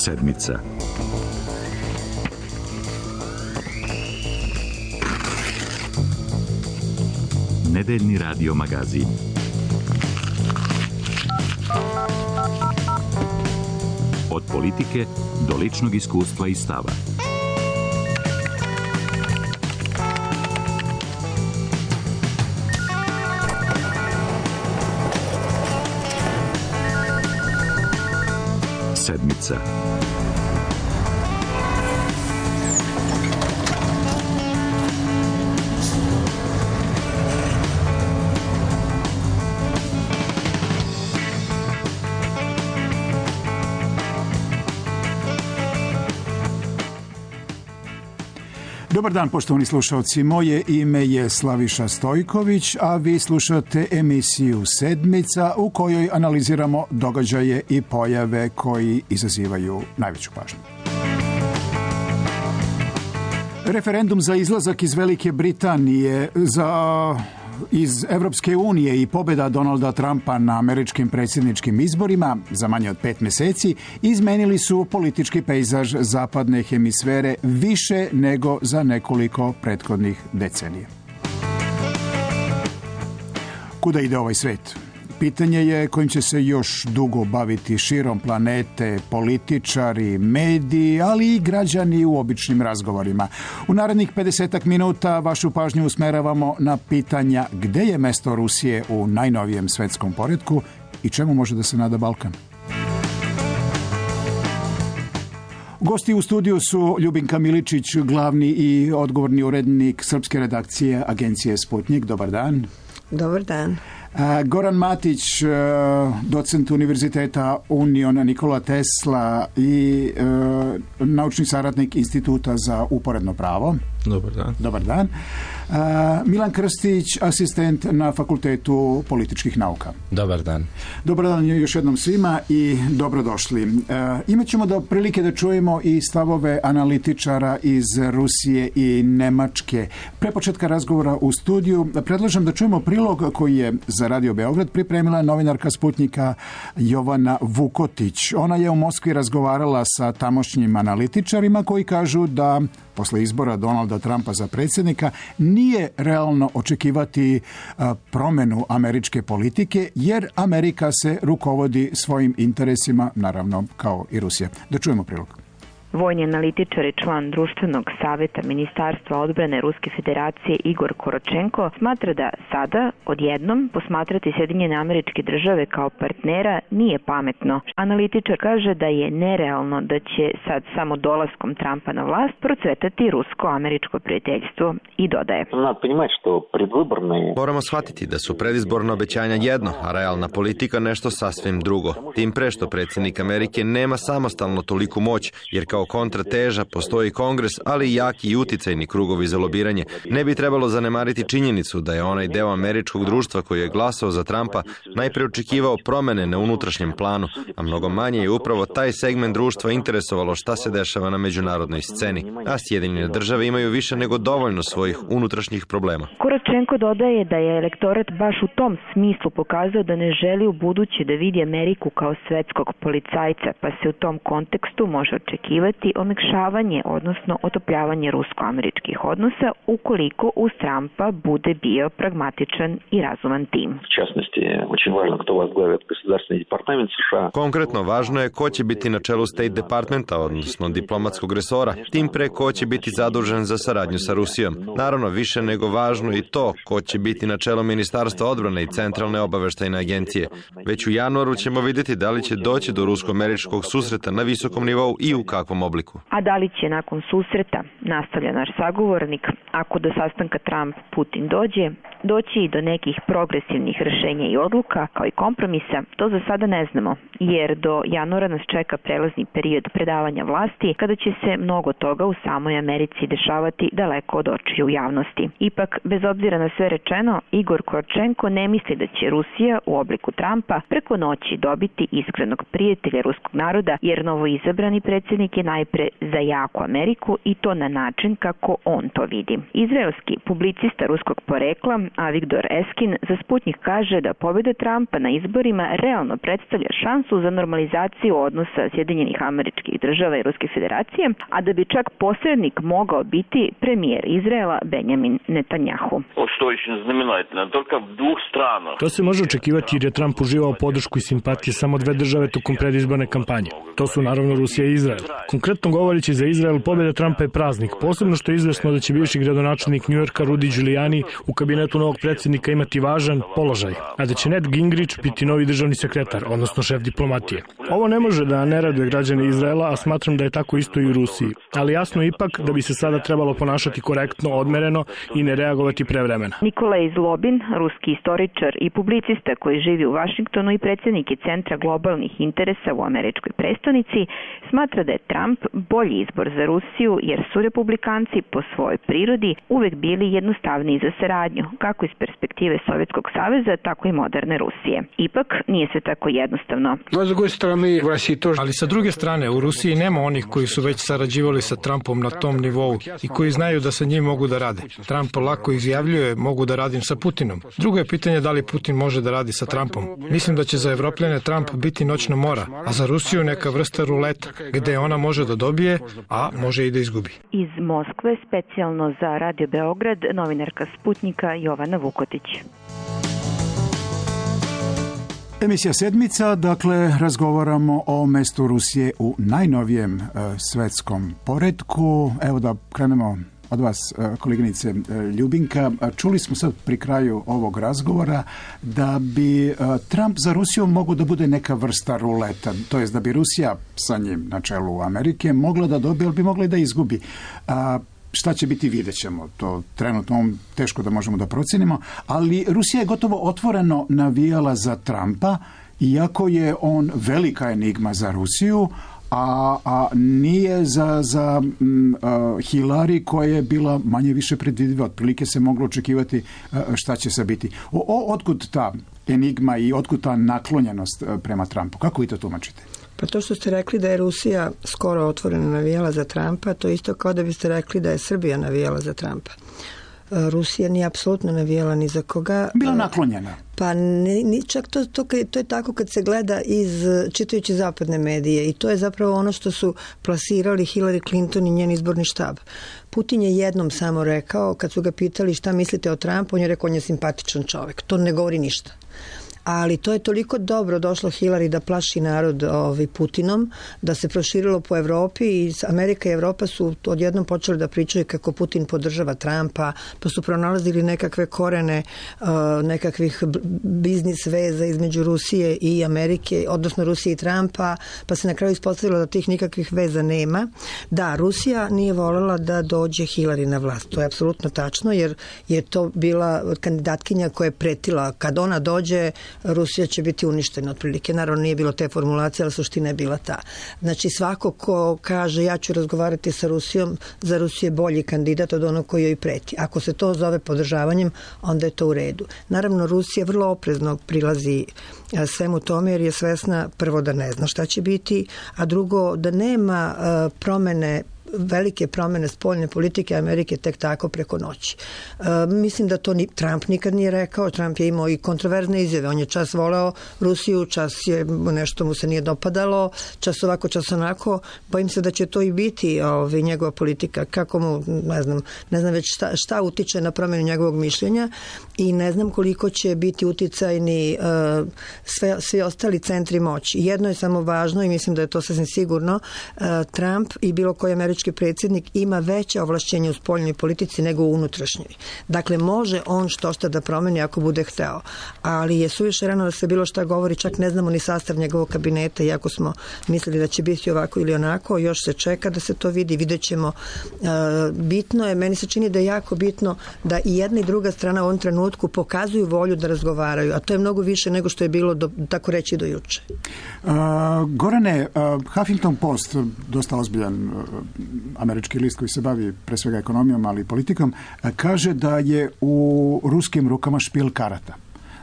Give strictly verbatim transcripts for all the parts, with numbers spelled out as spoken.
Sedmica. Nedeljni radio magazin. Od politike do ličnog iskustva i stava. Sedmica. Dobar dan, poštovani slušalci. Moje ime je Slaviša Stojković, a vi slušate emisiju Sedmica u kojoj analiziramo događaje i pojave koji izazivaju najveću pažnju. Referendum za izlazak iz Velike Britanije za iz Evropske unije i pobjeda Donalda Trumpa na američkim predsjedničkim izborima za manje od pet mjeseci izmenili su politički pejzaž zapadne hemisfere više nego za nekoliko prethodnih decenija. Kuda ide ovaj svet? Pitanje je kojim će se još dugo baviti širom planete političari, mediji, ali i građani u običnim razgovorima. U narednih pedesetak minuta vašu pažnju usmeravamo na pitanja gde je mesto Rusije u najnovijem svetskom poretku i čemu može da se nada Balkan. Gosti u studiju su Ljubinka Miličić, glavni i odgovorni urednik srpske redakcije agencije Sputnik. Dobar dan. Dobar dan. Goran Matić, docent Univerziteta Union Nikola Tesla i naučni saradnik Instituta za uporedno pravo. Dobar dan. Dobar dan. Milan Krstić, asistent na Fakultetu političkih nauka. Dobar dan. Dobar dan još jednom svima i dobrodošli. Imat ćemo da prilike da čujemo i stavove analitičara iz Rusije i Nemačke. Pre početka razgovora u studiju predlažem da čujemo prilog koji je za Radio Beograd pripremila novinarka Sputnika Jovana Vukotić. Ona je u Moskvi razgovarala sa tamošnjim analitičarima koji kažu da posle izbora Donalda Trumpa za predsjednika nije realno očekivati promjenu američke politike jer Amerika se rukovodi svojim interesima, naravno kao i Rusija. Da čujemo prilog. Vojni analitičar i član društvenog savjeta Ministarstva odbrane Ruske federacije Igor Koročenko smatra da sada, odjednom, posmatrati Sjedinjene Američke Države kao partnera nije pametno. Analitičar kaže da je nerealno da će sad samo dolaskom Trumpa na vlast procvetati rusko-američko prijateljstvo i dodaje. Moramo shvatiti da su predizborna obećanja jedno, a realna politika nešto sasvim drugo. Tim pre što predsjednik Amerike nema samostalno toliku moć, jer kao kontrateža postoji kongres, ali i jaki i uticajni krugovi za lobiranje. Ne bi trebalo zanemariti činjenicu da je onaj deo američkog društva koji je glasao za Trumpa najpre očekivao promene na unutrašnjem planu, a mnogo manje je upravo taj segment društva interesovalo šta se dešava na međunarodnoj sceni. A Sjedinjene Države imaju više nego dovoljno svojih unutrašnjih problema. Koročenko dodaje da je elektorat baš u tom smislu pokazao da ne želi u buduće da vidi Ameriku kao svetskog policajca, pa se u tom kontekstu može očekivati omekšavanje, odnosno otopljavanje rusko-američkih odnosa ukoliko uz Trumpa bude bio pragmatičan i razuman tim. Konkretno važno je ko će biti na čelu State Departmenta, odnosno diplomatskog resora, tim pre ko će biti zadužen za saradnju sa Rusijom. Naravno, više nego važno i to ko će biti na čelu Ministarstva odbrane i Centralne obaveštajne agencije. Već u januaru ćemo vidjeti da li će doći do rusko-američkog susreta na visokom nivou i u kakvom obliku. A da li će nakon susreta, nastavlja naš sagovornik, ako do sastanka Trump-Putin dođe, doći i do nekih progresivnih rješenja i odluka, kao i kompromisa, to za sada ne znamo, jer do januara nas čeka prelazni period predavanja vlasti, kada će se mnogo toga u samoj Americi dešavati daleko od očiju javnosti. Ipak, bez obzira na sve rečeno, Igor Koročenko ne misli da će Rusija u obliku Trumpa preko noći dobiti iskrenog prijatelja ruskog naroda, jer novoizabrani predsjednik je najpre za jaku Ameriku i to na način kako on to vidi. Izraelski publicista ruskog porekla Avigdor Eskin za Sputnik kaže da pobjeda Trumpa na izborima realno predstavlja šansu za normalizaciju odnosa Sjedinjenih Američkih Država i Ruske Federacije, a da bi čak posrednik mogao biti premijer Izraela Benjamin Netanjahu. To se može očekivati jer je Trump uživao podršku i simpatije samo dve države tokom predizborne kampanje. To su naravno Rusija i Izrael. Konkretno govoreći za Izrael, pobjeda Trumpa je praznik, posebno što je izvesno da će bivši gradonačelnik Njujorka Rudy Giuliani u kabinetu novog predsjednika imati važan položaj, a da će Ned Gingrich biti novi državni sekretar, odnosno šef diplomatije. Ovo ne može da ne raduje građane Izraela, a smatram da je tako isto i u Rusiji. Ali jasno je ipak da bi se sada trebalo ponašati korektno, odmereno i ne reagovati prevremena. Nikolaj Zlobin, ruski istoričar i publicista koji živi u Vašingtonu i predsjednik je Centra globalnih interesa u američkoj prestonici, smatra da je Trump bolji izbor za Rusiju jer su republikanci po svojoj prirodi uvek bili jednostavniji za saradnju, kako iz perspektive Sovjetskog saveza, tako i moderne Rusije. Ipak nije sve tako jednostavno. Ali sa druge strane, u Rusiji nema onih koji su već sarađivali sa Trumpom na tom nivou i koji znaju da sa njim mogu da rade. Trump lako izjavljuje, mogu da radim sa Putinom. Drugo je pitanje da li Putin može da radi sa Trumpom. Mislim da će za Evropljane Trump biti noćna mora, a za Rusiju neka vrsta ruleta, gde ona može da dobije, a može i da izgubi. Iz Moskve, specijalno za Radio Beograd, novinarka Sputnika Jovana Vukotić. Emisija Sedmica, dakle, razgovaramo o mestu Rusije u najnovijem e, svetskom poretku. Evo da krenemo od vas, koleginice Ljubinka. Čuli smo sad pri kraju ovog razgovora da bi Trump za Rusiju mogao da bude neka vrsta ruleta, to jest da bi Rusija sa njim na čelu Amerike mogla da dobije, ali bi mogla i da izgubi. A, šta će biti, vidjet ćemo. To trenutno teško da možemo da procenimo, ali Rusija je gotovo otvoreno navijala za Trumpa, iako je on velika enigma za Rusiju, a, a nije za, za m, uh, Hillary koja je bila manje više predvidiva. Otprilike se moglo očekivati uh, šta će se biti. O, o, otkud ta enigma i otkud ta naklonjenost uh, prema Trumpu? Kako vi to tumačite? Pa to što ste rekli da je Rusija skoro otvoreno navijala za Trumpa, to isto kao da biste rekli da je Srbija navijala za Trumpa. Rusija nije apsolutno navijala ni za koga. Bila naklonjena. Pa ni, ni čak to, to, to je tako kad se gleda iz čitajući zapadne medije i to je zapravo ono što su plasirali Hillary Clinton i njen izborni štab. Putin je jednom samo rekao, kad su ga pitali šta mislite o Trumpu, on je rekao on je simpatičan čovjek. To ne govori ništa. Ali to je toliko dobro došlo Hillary da plaši narod ovaj, Putinom, da se proširilo po Evropi i Amerika i Evropa su odjednom počeli da pričaju kako Putin podržava Trumpa, pa su pronalazili nekakve korene uh, nekakvih biznis veza između Rusije i Amerike, odnosno Rusije i Trumpa, pa se na kraju ispostavilo da tih nikakvih veza nema. Da, Rusija nije voljela da dođe Hillary na vlast. To je apsolutno tačno, jer je to bila kandidatkinja koja je pretila kad ona dođe Rusija će biti uništena otprilike. Naravno nije bilo te formulacije, ali suština je bila ta. Znači svako ko kaže ja ću razgovarati sa Rusijom, za Rusiju je bolji kandidat od onog koji joj preti. Ako se to zove podržavanjem, onda je to u redu. Naravno Rusija vrlo oprezno prilazi svemu tome jer je svesna prvo da ne zna šta će biti, a drugo da nema promene velike promjene spoljne politike Amerike tek tako preko noći. E, mislim da to ni Trump nikad nije rekao. Trump je imao i kontroverzne izjave. On je čas voleo Rusiju, čas je nešto mu se nije dopadalo, čas ovako, čas onako. Bojim se da će to i biti ovaj, njegova politika. Kako mu, ne znam, ne znam već šta, šta utiče na promjenu njegovog mišljenja i ne znam koliko će biti uticajni uh, sve, svi ostali centri moći. Jedno je samo važno i mislim da je to sasvim sigurno. Uh, Trump i bilo koji američki predsjednik ima veće ovlašćenje u spoljnoj politici nego u unutrašnjoj. Dakle, može on što šta da promeni ako bude hteo. Ali je suviše rano da se bilo šta govori, čak ne znamo ni sastav njegovog kabineta, iako smo mislili da će biti ovako ili onako, još se čeka da se to vidi, vidjet ćemo. Uh, bitno je, meni se čini da je jako bitno da i jedna i druga strana u ovom trenutku pokazuju volju da razgovaraju, a to je mnogo više nego što je bilo do, tako reći do juče. Uh, Gorane, uh, Huffington Post, dosta ozbiljan uh, američki list koji se bavi pre svega ekonomijom, ali i politikom, uh, kaže da je u ruskim rukama špil karata.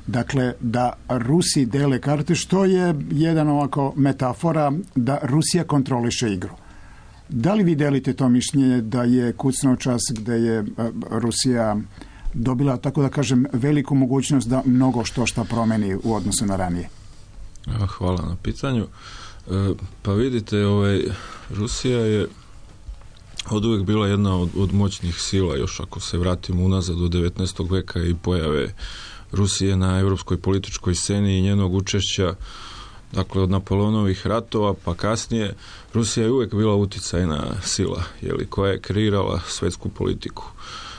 Dakle, da Rusi dele karte, što je jedan ovako metafora da Rusija kontroliše igru. Da li vi delite to mišljenje da je kucnuo čas gde je Rusija dobila, tako da kažem, veliku mogućnost da mnogo što šta promeni u odnosu na ranije? Hvala na pitanju. Pa vidite, ovaj, Rusija je od uvijek bila jedna od, od moćnih sila, još ako se vratimo unazad do devetnaestog veka i pojave Rusije na europskoj političkoj sceni i njenog učešća, dakle od Napoleonovih ratova pa kasnije, Rusija je uvijek bila uticajna sila, jeli, koja je kreirala svetsku politiku.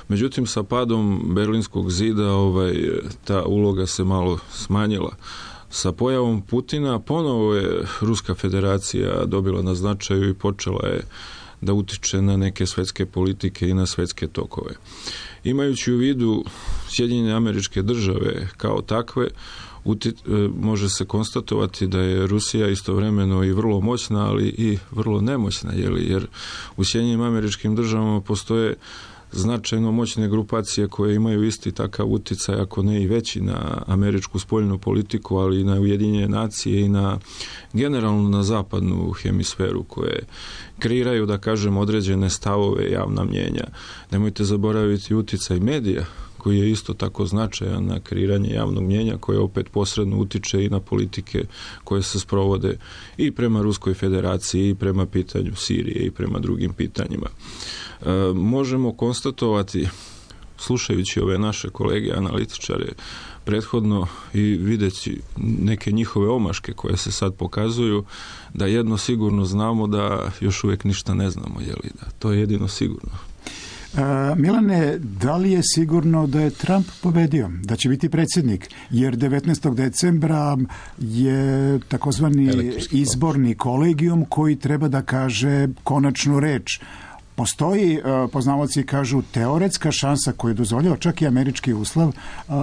Međutim, sa padom Berlinskog zida ovaj, ta uloga se malo smanjila. Sa pojavom Putina ponovo je Ruska federacija dobila na značaju i počela je da utiče na neke svetske politike i na svetske tokove. Imajući u vidu Sjedinjene Američke Države kao takve, uti, može se konstatovati da je Rusija istovremeno i vrlo moćna, ali i vrlo nemoćna, jeli, jer u Sjedinjenim Američkim Državama postoje značajno moćne grupacije koje imaju isti takav uticaj, ako ne i veći, na američku spoljnu politiku, ali i na Ujedinjene nacije i na generalno na zapadnu hemisferu, koje kreiraju, da kažem, određene stavove, javna mnjenja. Nemojte zaboraviti uticaj medija, koji je isto tako značajan na kreiranje javnog mnjenja, koje opet posredno utiče i na politike koje se sprovode i prema Ruskoj federaciji, i prema pitanju Sirije, i prema drugim pitanjima. E, možemo konstatovati, slušajući ove naše kolege analitičare prethodno i videći neke njihove omaške koje se sad pokazuju, da jedno sigurno znamo, da još uvijek ništa ne znamo, jeli, da to je jedino sigurno. Uh, Milane, da li je sigurno da je Trump pobedio, da će biti predsjednik? Jer devetnaestog decembra je takozvani izborni kolegijum koji treba da kaže konačnu reč. Postoji, poznavaoci kažu, teoretska šansa koju dozvoljava čak i američki ustav,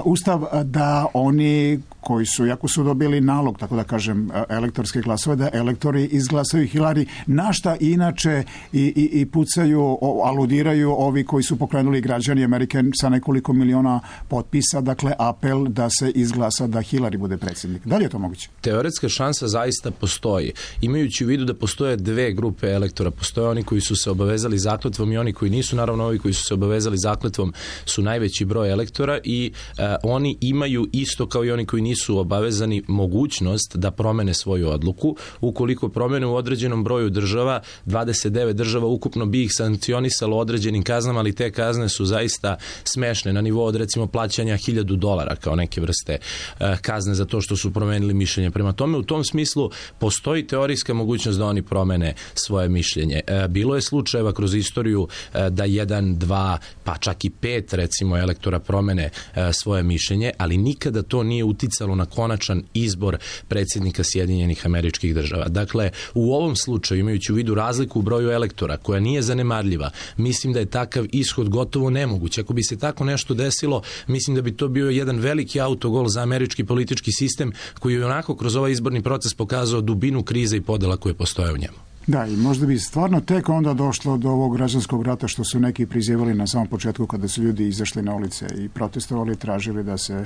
ustav da oni koji su, jako su dobili nalog, tako da kažem, elektorske glasove, da elektori izglasaju Hillary, na šta inače i, i, i pucaju, aludiraju ovi koji su pokrenuli građani Amerike sa nekoliko miliona potpisa, dakle apel da se izglasa da Hillary bude predsjednik. Da li je to moguće? Teoretska šansa zaista postoji. Imajući u vidu da postoje dve grupe elektora, postoje oni koji su se obavezali zakletvom i oni koji nisu, naravno ovi koji su se obavezali zakletvom su najveći broj elektora i e, oni imaju isto kao i oni koji nisu obavezani mogućnost da promene svoju odluku. Ukoliko promene u određenom broju država, dvadeset devet država ukupno bi ih sankcionisalo određenim kaznama, ali te kazne su zaista smešne, na nivou od recimo plaćanja hiljadu dolara kao neke vrste e, kazne za to što su promenili mišljenje. Prema tome, u tom smislu postoji teorijska mogućnost da oni promene svoje mišljenje. E, bilo je slučajeva kroz istoriju e, da jedan, dva, pa čak i pet recimo elektora promene e, svoje mišljenje, ali nikada to nije uticalo na konačan izbor predsjednika Sjedinjenih Američkih Država. Dakle, u ovom slučaju, imajući u vidu razliku u broju elektora, koja nije zanemarljiva, mislim da je takav ishod gotovo nemoguć. Ako bi se tako nešto desilo, mislim da bi to bio jedan veliki autogol za američki politički sistem, koji je onako kroz ovaj izborni proces pokazao dubinu krize i podela koje postoje u njemu. Da, i možda bi stvarno tek onda došlo do ovog građanskog rata što su neki prizivali na samom početku kada su ljudi izašli na ulice i protestovali, tražili da se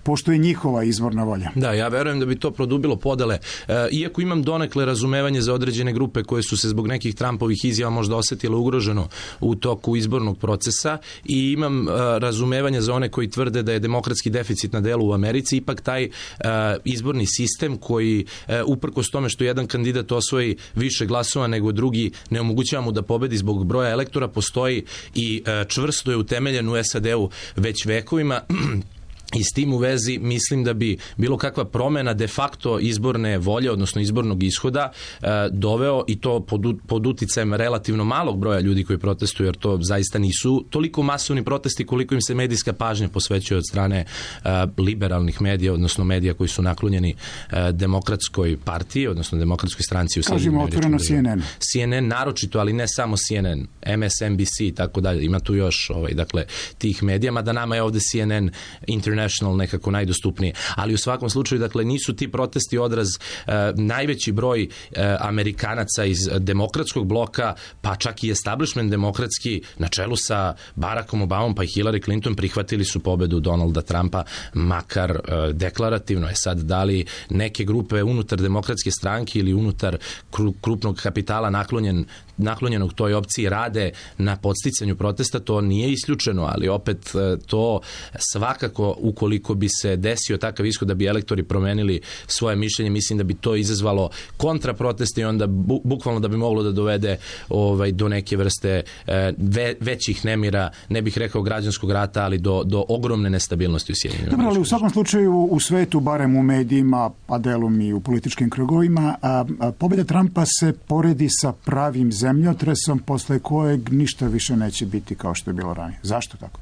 poštuje njihova izvorna volja. Da, ja verujem da bi to produbilo podele. E, iako imam donekle razumevanje za određene grupe koje su se zbog nekih Trumpovih izjava možda osetile ugroženo u toku izbornog procesa i imam e, razumevanje za one koji tvrde da je demokratski deficit na delu u Americi, ipak taj e, izborni sistem koji e, uprkos tome što jedan kandidat osvoji više glasova nego drugi, ne omogućava mu da pobedi zbog broja elektora, postoji i e, čvrsto je utemeljen u S A D-u već vekovima. I s tim u vezi mislim da bi bilo kakva promena de facto izborne volje, odnosno izbornog ishoda, e, doveo, i to pod, pod uticajem relativno malog broja ljudi koji protestuju, jer to zaista nisu toliko masovni protesti koliko im se medijska pažnja posvećuje od strane e, liberalnih medija, odnosno medija koji su naklonjeni e, demokratskoj partiji, odnosno demokratskoj stranci u Sjedinjenim Američkim Državama. Kažemo otvoreno C N N. C N N naročito, ali ne samo C N N, M S N B C i tako dalje. Ima tu još ovaj, dakle, tih medija, mada nama je ovde C N N International International nekako najdostupnije. Ali u svakom slučaju, dakle, nisu ti protesti odraz uh, najveći broj uh, Amerikanaca iz demokratskog bloka, pa čak i establishment demokratski na čelu sa Barackom Obamom pa i Hillary Clinton prihvatili su pobedu Donalda Trumpa, makar uh, deklarativno je sad da li neke grupe unutar demokratske stranke ili unutar krupnog kapitala naklonjen naklonjenog toj opciji rade na podsticanju protesta, to nije isključeno, ali opet to svakako, ukoliko bi se desio takav ishod da bi elektori promenili svoje mišljenje, mislim da bi to izazvalo kontraproteste i onda bu, bukvalno da bi moglo da dovede ovaj, do neke vrste ve, većih nemira, ne bih rekao građanskog rata, ali do, do ogromne nestabilnosti u Sjedinjenim. Dobro, ali u svakom slučaju u svetu, barem u medijima, a delom i u političkim krugovima, a, a pobjeda Trumpa se poredi sa pravim zemljotresom posle kojeg ništa više neće biti kao što je bilo ranije. Zašto tako?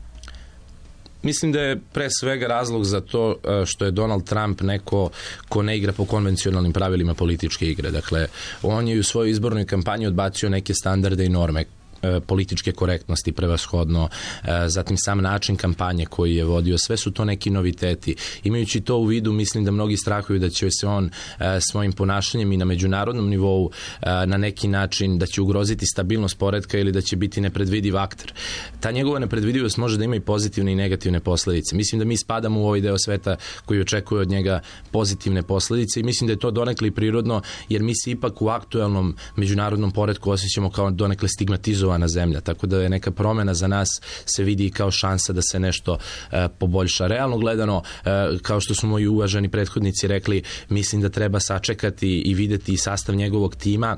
Mislim da je pre svega razlog za to što je Donald Trump neko ko ne igra po konvencionalnim pravilima političke igre. Dakle, on je u svojoj izbornoj kampanji odbacio neke standarde i norme političke korektnosti prevashodno, zatim sam način kampanje koji je vodio, sve su to neki noviteti. Imajući to u vidu, mislim da mnogi strahuju da će se on svojim ponašanjem i na međunarodnom nivou na neki način da će ugroziti stabilnost poretka ili da će biti nepredvidiv akter. Ta njegova nepredvidivost može da ima i pozitivne i negativne posledice. Mislim da mi spadamo u ovaj deo sveta koji očekuje od njega pozitivne posledice i mislim da je to donekle i prirodno, jer mi se ipak u aktuelnom međunarodnom poretku osjećamo kao donekle stigmatizovani na zemlja, tako da je neka promena za nas se vidi kao šansa da se nešto e, poboljša. Realno gledano, e, kao što su moji uvaženi prethodnici rekli, mislim da treba sačekati i videti sastav njegovog tima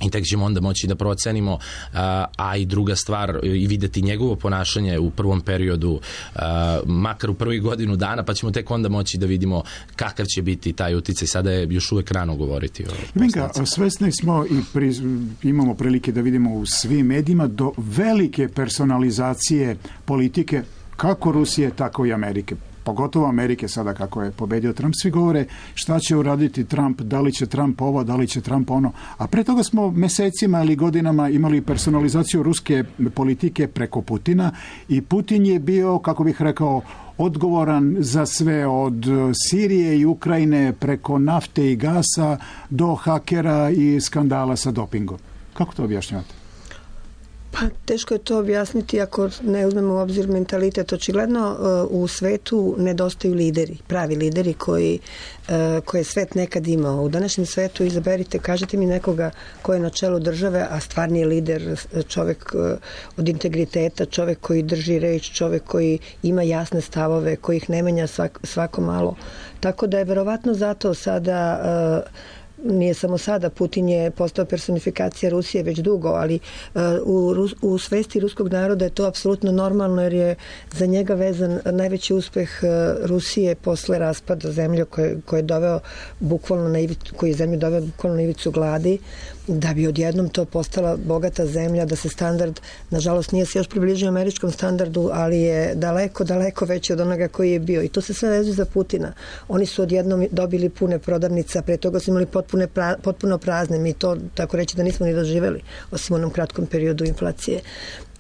i tek ćemo onda moći da procenimo, a, a i druga stvar, i videti njegovo ponašanje u prvom periodu, a, makar u prvih godinu dana, pa ćemo tek onda moći da vidimo kakav će biti taj uticaj. Sada je još uvek rano govoriti o posljedicama. Svesni smo i pri, imamo prilike da vidimo u svim medijima do velike personalizacije politike kako Rusije, tako i Amerike. Pogotovo Amerike sada kako je pobedio Trump. Svi govore šta će uraditi Trump, da li će Trump ovo, da li će Trump ono. A pre toga smo mesecima ili godinama imali personalizaciju ruske politike preko Putina i Putin je bio, kako bih rekao, odgovoran za sve od Sirije i Ukrajine preko nafte i gasa do hakera i skandala sa dopingom. Kako to objašnjavate? Pa teško je to objasniti ako ne uzmemo u obzir mentalitet. Očigledno u svetu nedostaju lideri, pravi lideri koji, koje je svet nekad imao. U današnjem svetu izaberite, kažete mi nekoga ko je na čelu države, a stvarni je lider, čovek od integriteta, čovek koji drži reč, čovek koji ima jasne stavove, koji ih ne menja svak, svako malo. Tako da je verovatno zato sada... Nije samo sada, Putin je postao personifikacija Rusije već dugo, ali uh, u, u svesti ruskog naroda je to apsolutno normalno, jer je za njega vezan najveći uspeh uh, Rusije posle raspada zemlje koje, koje je doveo bukvalno na ivicu, koji je zemlju doveo bukvalno na ivicu gladi, da bi odjednom to postala bogata zemlja, da se standard, nažalost nije se još približio američkom standardu, ali je daleko, daleko veći od onoga koji je bio. I to se sve vezuje za Putina. Oni su odjednom dobili pune prodavnice, a pre toga su imali potpune pra, potpuno prazne. Mi to, tako reći, da nismo ni doživeli, osim u onom kratkom periodu inflacije.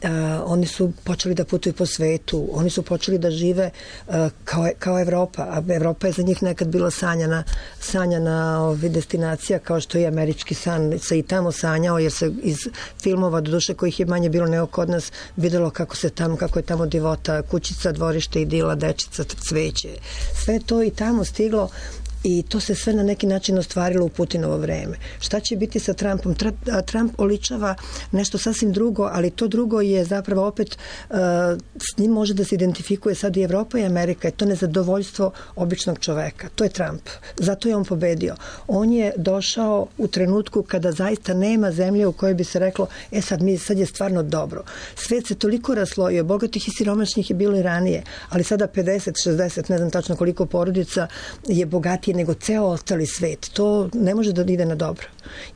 Uh, oni su počeli da putuju po svetu, oni su počeli da žive uh, kao, kao Evropa, a Evropa je za njih nekad bila sanjana, sanjana ovi, destinacija, kao što je američki san se i tamo sanjao, jer se iz filmova, do duše kojih je manje bilo nego kod nas, videlo kako se tamo, kako je tamo divota, kućica, dvorište, idila, dečica, cveće. Sve to i tamo stiglo. I to se sve na neki način ostvarilo u Putinovo vreme. Šta će biti sa Trumpom? Trump oličava nešto sasvim drugo, ali to drugo je zapravo opet, uh, s njim može da se identifikuje sad i Evropa i Amerika, i to nezadovoljstvo običnog čoveka. To je Trump. Zato je on pobedio. On je došao u trenutku kada zaista nema zemlje u kojoj bi se reklo, e sad, mi, sad je stvarno dobro. Svet se toliko raslojio, bogatih i siromašnih je bilo i ranije, ali sada pedeset, šezdeset, ne znam tačno koliko porodica je bogatije nego ceo ostali svet. To ne može da ide na dobro.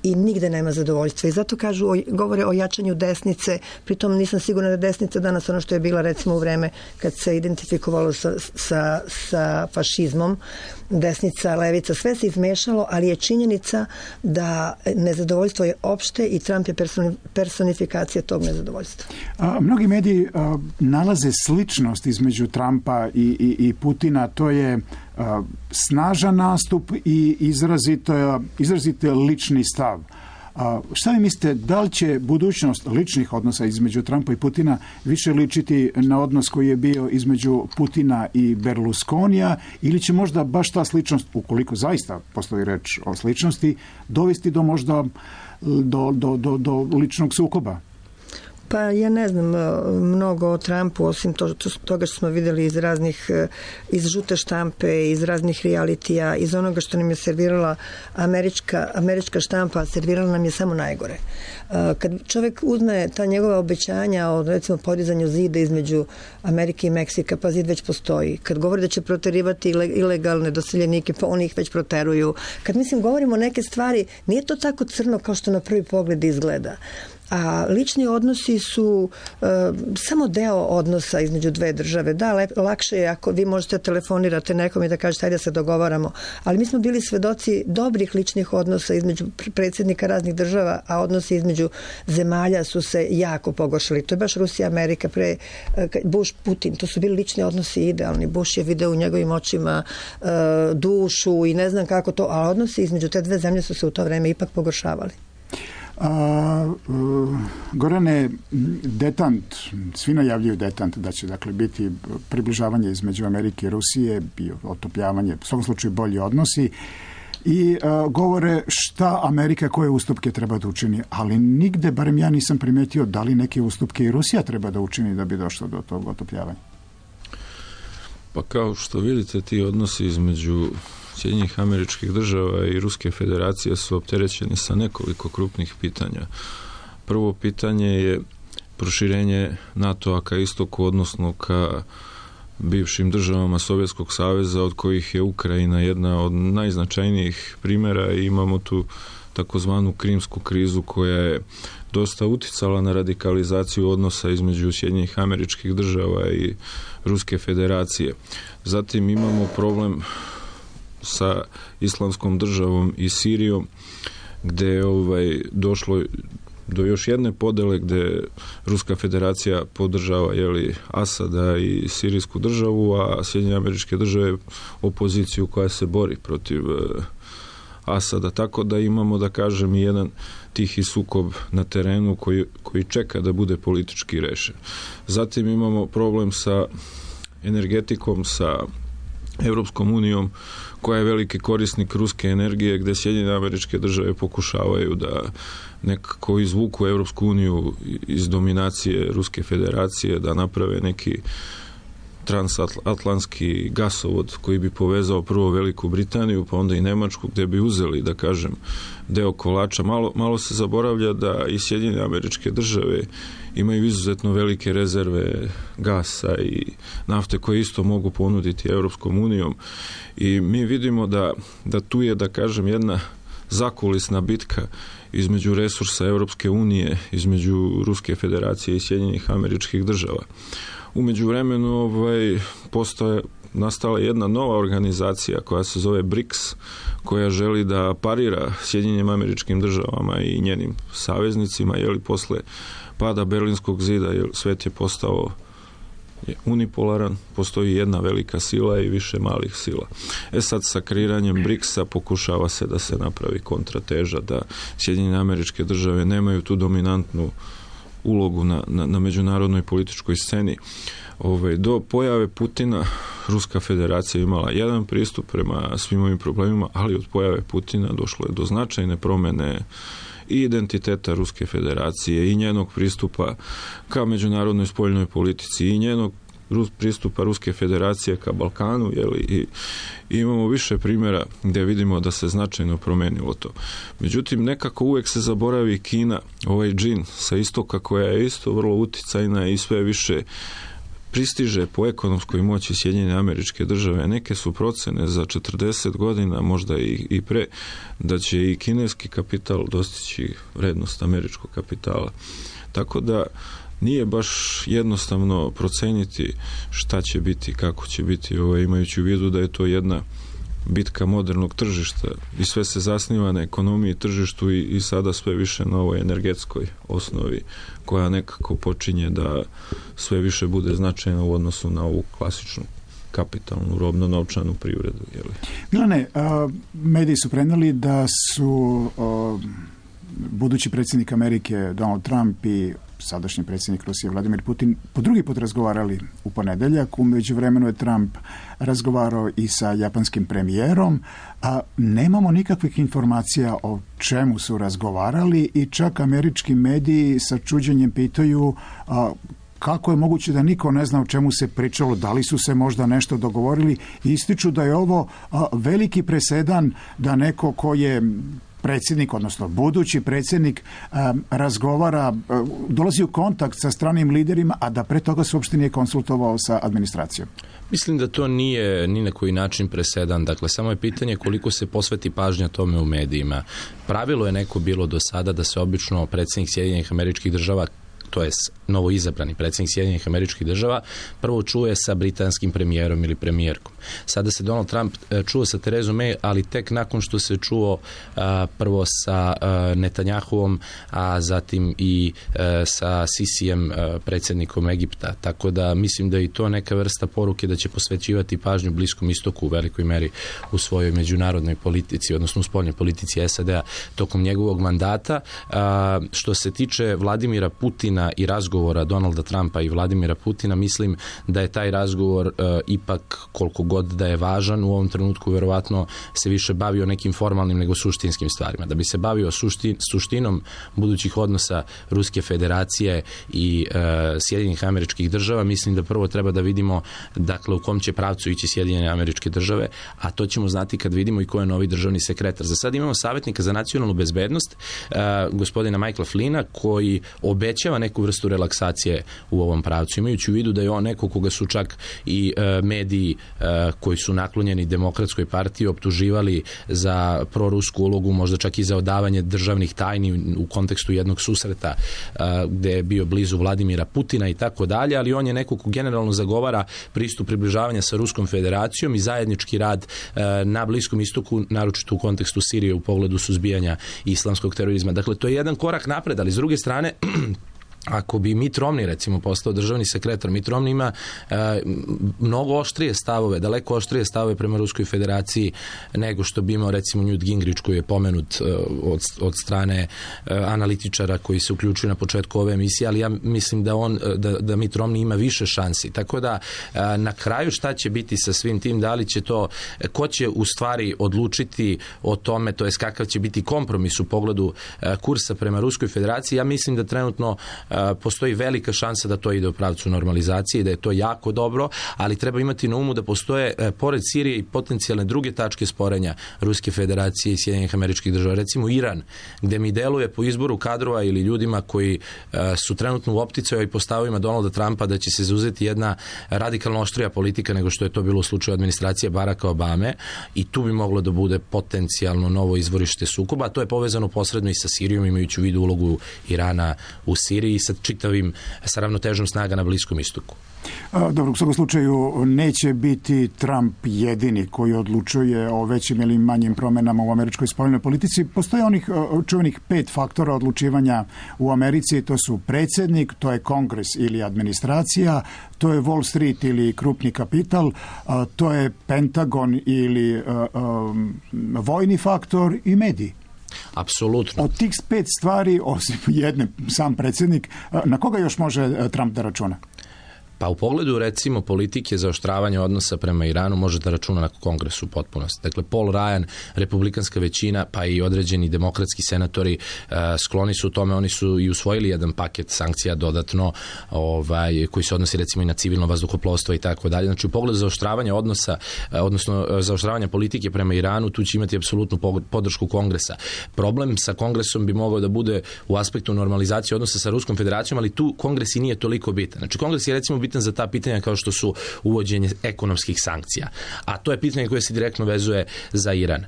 i nigde nema zadovoljstva. I zato kažu, o, govore o jačanju desnice, pritom nisam sigurna da je desnica danas ono što je bila recimo u vreme kad se identifikovalo sa, sa, sa fašizmom, desnica, levica, sve se izmešalo, ali je činjenica da nezadovoljstvo je opšte i Trump je personifikacija tog nezadovoljstva. A, mnogi mediji a, nalaze sličnost između Trumpa i, i, i Putina, to je a, snažan nastup i izrazito, izrazito lični stav. A, šta vi mislite, da li će budućnost ličnih odnosa između Trumpa i Putina više ličiti na odnos koji je bio između Putina i Berlusconija, ili će možda baš ta sličnost, ukoliko zaista postoji reč o sličnosti, dovesti do možda do, do, do, do ličnog sukoba? Pa ja ne znam mnogo o Trumpu, osim to, to, toga što smo vidjeli iz raznih, iz žute štampe, iz raznih realitija, iz onoga što nam je servirala američka, američka štampa, servirala nam je samo najgore. Kad čovjek uzme ta njegova obećanja o, recimo, podizanju zida između Amerike i Meksika, pa zid već postoji. Kad govori da će proterivati ilegalne doseljenike, pa oni ih već proteruju. Kad, mislim, govorimo neke stvari, nije to tako crno kao što na prvi pogled izgleda. A lični odnosi su e, samo deo odnosa između dve države. Da, lep, lakše je ako vi možete telefonirate nekom i da kažete ajde da se dogovaramo, ali mi smo bili svedoci dobrih ličnih odnosa između predsjednika raznih država, a odnosi između zemalja su se jako pogoršali. To je baš Rusija, Amerika, pre Bush, Putin, to su bili lični odnosi idealni. Bush je video u njegovim očima e, dušu i ne znam kako to, a odnosi između te dve zemlje su se u to vreme ipak pogoršavali. A, uh, Gorane, detant, svi najavljuju detant da će dakle biti približavanje između Amerike i Rusije, bio otopljavanje, u svakom slučaju bolji odnosi i uh, govore šta Amerika koje ustupke treba da učini, ali nigde, barem ja nisam primetio da li neke ustupke i Rusija treba da učini da bi došlo do tog otopljavanja. Pa kao što vidite, ti odnosi između Sjedinjenih Američkih Država i Ruske Federacije su opterećeni sa nekoliko krupnih pitanja. Prvo pitanje je proširenje NATO-a ka istoku, odnosno ka bivšim državama Sovjetskog saveza, od kojih je Ukrajina jedna od najznačajnijih primjera, i imamo tu takozvanu krimsku krizu koja je dosta uticala na radikalizaciju odnosa između Sjedinjenih Američkih Država i Ruske Federacije. Zatim imamo problem sa Islamskom državom i Sirijom, gdje je ovaj, došlo do još jedne podele gdje Ruska Federacija podržava jeli, Asada i Sirijsku državu, a Sjedinjene Američke Države opoziciju koja se bori protiv uh, Asada. Tako da imamo, da kažem, jedan tihi sukob na terenu koji, koji čeka da bude politički rešen. Zatim imamo problem sa energetikom, sa Europskom unijom, koja je veliki korisnik ruske energije, gdje Sjedinjene Američke Države pokušavaju da nekako izvuku Europsku uniju iz dominacije Ruske Federacije, da naprave neki transatlantski gasovod koji bi povezao prvo Veliku Britaniju, pa onda i Nemačku, gdje bi uzeli, da kažem, deo kolača. Malo, malo se zaboravlja da i Sjedinjene Američke Države imaju izuzetno velike rezerve gasa i nafte koje isto mogu ponuditi Europskom unijom, i mi vidimo da, da tu je, da kažem, jedna zakulisna bitka između resursa Europske unije, između Ruske Federacije i Sjedinjenih Američkih Država. U međuvremenu ovaj, postoje, nastala jedna nova organizacija koja se zove briks, koja želi da parira Sjedinjenim Američkim Državama i njenim saveznicima, jeli posle pada Berlinskog zida, jer svet je postao je unipolaran, postoji jedna velika sila i više malih sila. E sad, sa kreiranjem briksa pokušava se da se napravi kontrateža, da Sjedinjene Američke Države nemaju tu dominantnu ulogu na, na, na međunarodnoj političkoj sceni. Ove, do pojave Putina Ruska Federacija imala jedan pristup prema svim ovim problemima, ali od pojave Putina došlo je do značajne promjene i identiteta Ruske Federacije i njenog pristupa ka međunarodnoj spoljnoj politici i njenog pristupa Ruske Federacije ka Balkanu, jeli, i, i imamo više primjera gdje vidimo da se značajno promenilo to. Međutim, nekako uvijek se zaboravi Kina, ovaj džin sa istoka, koja je isto vrlo uticajna i sve više pristiže po ekonomskoj moći Sjedinjene Američke Države. Neke su procene za četrdeset godina, možda i, i pre, da će i kineski kapital dostići vrednost američkog kapitala. Tako da nije baš jednostavno proceniti šta će biti, kako će biti, ovaj, imajući u vidu da je to jedna bitka modernog tržišta i sve se zasniva na ekonomiji, tržištu i, i sada sve više na ovoj energetskoj osnovi koja nekako počinje da sve više bude značajna u odnosu na ovu klasičnu kapitalnu, robno-novčanu privredu. Jeli? Milane, uh, mediji su preneli da su uh, budući predsjednik Amerike Donald Trump i sadašnji predsjednik Rusije Vladimir Putin po drugi put razgovarali u ponedeljak. U međuvremenu je Trump razgovarao i sa japanskim premijerom, a nemamo nikakvih informacija o čemu su razgovarali i čak američki mediji sa čuđenjem pitaju a, kako je moguće da niko ne zna o čemu se pričalo, da li su se možda nešto dogovorili. Ističu da je ovo a, veliki presedan da neko ko je predsjednik, odnosno budući predsjednik, um, razgovara, um, dolazi u kontakt sa stranim liderima, a da pre toga se uopšte nije konsultovao sa administracijom. Mislim da to nije ni na koji način presedan. Dakle, samo je pitanje koliko se posveti pažnja tome u medijima. Pravilo je neko bilo do sada da se obično predsjednik Sjedinjenih Američkih Država, to je novo izabrani predsjednik Sjedinjenih Američkih Država, prvo čuje sa britanskim premijerom ili premijerkom. Sada se Donald Trump čuo sa Terezom May, ali tek nakon što se čuo a, prvo sa a, Netanjahuom, a zatim i a, sa Sisijem, a, predsjednikom Egipta. Tako da mislim da je i to neka vrsta poruke da će posvećivati pažnju Bliskom istoku u velikoj meri u svojoj međunarodnoj politici, odnosno u spoljnoj politici S A D-a tokom njegovog mandata. A, što se tiče Vladimira Putina i razgovora Donalda Trumpa i Vladimira Putina, mislim da je taj razgovor uh, ipak, koliko god da je važan, u ovom trenutku verovatno se više bavio nekim formalnim nego suštinskim stvarima. Da bi se bavio suštin, suštinom budućih odnosa Ruske federacije i uh, Sjedinjenih Američkih Država, mislim da prvo treba da vidimo, dakle, u kom će pravcu ići Sjedinjene Američke Države, a to ćemo znati kad vidimo i ko je novi državni sekretar. Za sad imamo savjetnika za nacionalnu bezbednost, uh, gospodina Michaela Flynna, koji obećava neku vrstu relaksacije u ovom pravcu, imajući u vidu da je on neko koga su čak i e, mediji e, koji su naklonjeni Demokratskoj partiji optuživali za prorusku ulogu, možda čak i za odavanje državnih tajni u kontekstu jednog susreta e, gde je bio blizu Vladimira Putina i tako dalje, ali on je neko ko generalno zagovara pristup približavanja sa Ruskom federacijom i zajednički rad e, na Bliskom istoku, naročito u kontekstu Sirije u pogledu suzbijanja islamskog terorizma. Dakle, to je jedan korak napred, ali s druge strane ako bi Mitt Romney, recimo, postao državni sekretar, Mitt Romney ima e, mnogo oštrije stavove, daleko oštrije stavove prema Ruskoj federaciji nego što bi imao, recimo, Newt Gingrich, koji je pomenut e, od, od strane e, analitičara koji se uključuju na početku ove emisije, ali ja mislim da on, da, da Mitt Romney ima više šansi. Tako da, e, na kraju šta će biti sa svim tim, da li će to, ko će u stvari odlučiti o tome, to jest kakav će biti kompromis u pogledu e, kursa prema Ruskoj federaciji, ja mislim da trenutno postoji velika šansa da to ide u pravcu normalizacije i da je to jako dobro, ali treba imati na umu da postoje, pored Sirije, i potencijalne druge tačke sporenja Ruske federacije i Sjedinjenih Američkih Država. Recimo Iran, gde mi deluje po izboru kadrova ili ljudima koji su trenutno u opticaju i po stavovima Donalda Trumpa da će se zauzeti jedna radikalno oštrija politika nego što je to bilo u slučaju administracije Baracka Obame, i tu bi moglo da bude potencijalno novo izvorište sukoba, a to je povezano posredno i sa Sirijom, imajući u vidu ulogu Irana u Siriji i sa čitavim, sa ravnotežom snaga na Bliskom istoku. Dobro, u svakom slučaju neće biti Trump jedini koji odlučuje o većim ili manjim promenama u američkoj spoljnoj politici. Postoje onih čuvenih pet faktora odlučivanja u Americi. To su predsjednik, to je kongres ili administracija, to je Wall Street ili krupni kapital, to je Pentagon ili vojni faktor i mediji. Apsolutno. Od tih pet stvari, osim jedne, sam predsjednik, na koga još može Trump da računa? Pa u pogledu, recimo, politike zaoštravanja odnosa prema Iranu može da računa na kongresu u potpunosti. Dakle, Paul Ryan, republikanska većina, pa i određeni demokratski senatori uh, skloni su u tome, oni su i usvojili jedan paket sankcija dodatno, ovaj, koji se odnosi, recimo, i na civilno vazduhoplovstvo i tako dalje. Znači, u pogledu zaoštravanja odnosa, uh, odnosno uh, zaoštravanja politike prema Iranu, tu će imati apsolutnu podršku kongresa. Problem sa kongresom bi mogao da bude u aspektu normalizacije odnosa sa Ruskom federacijom, ali tu kongres i nije toliko bitan. Znači, kongres je, recimo, bitan za ta pitanja kao što su uvođenje ekonomskih sankcija. A to je pitanje koje se direktno vezuje za Iran.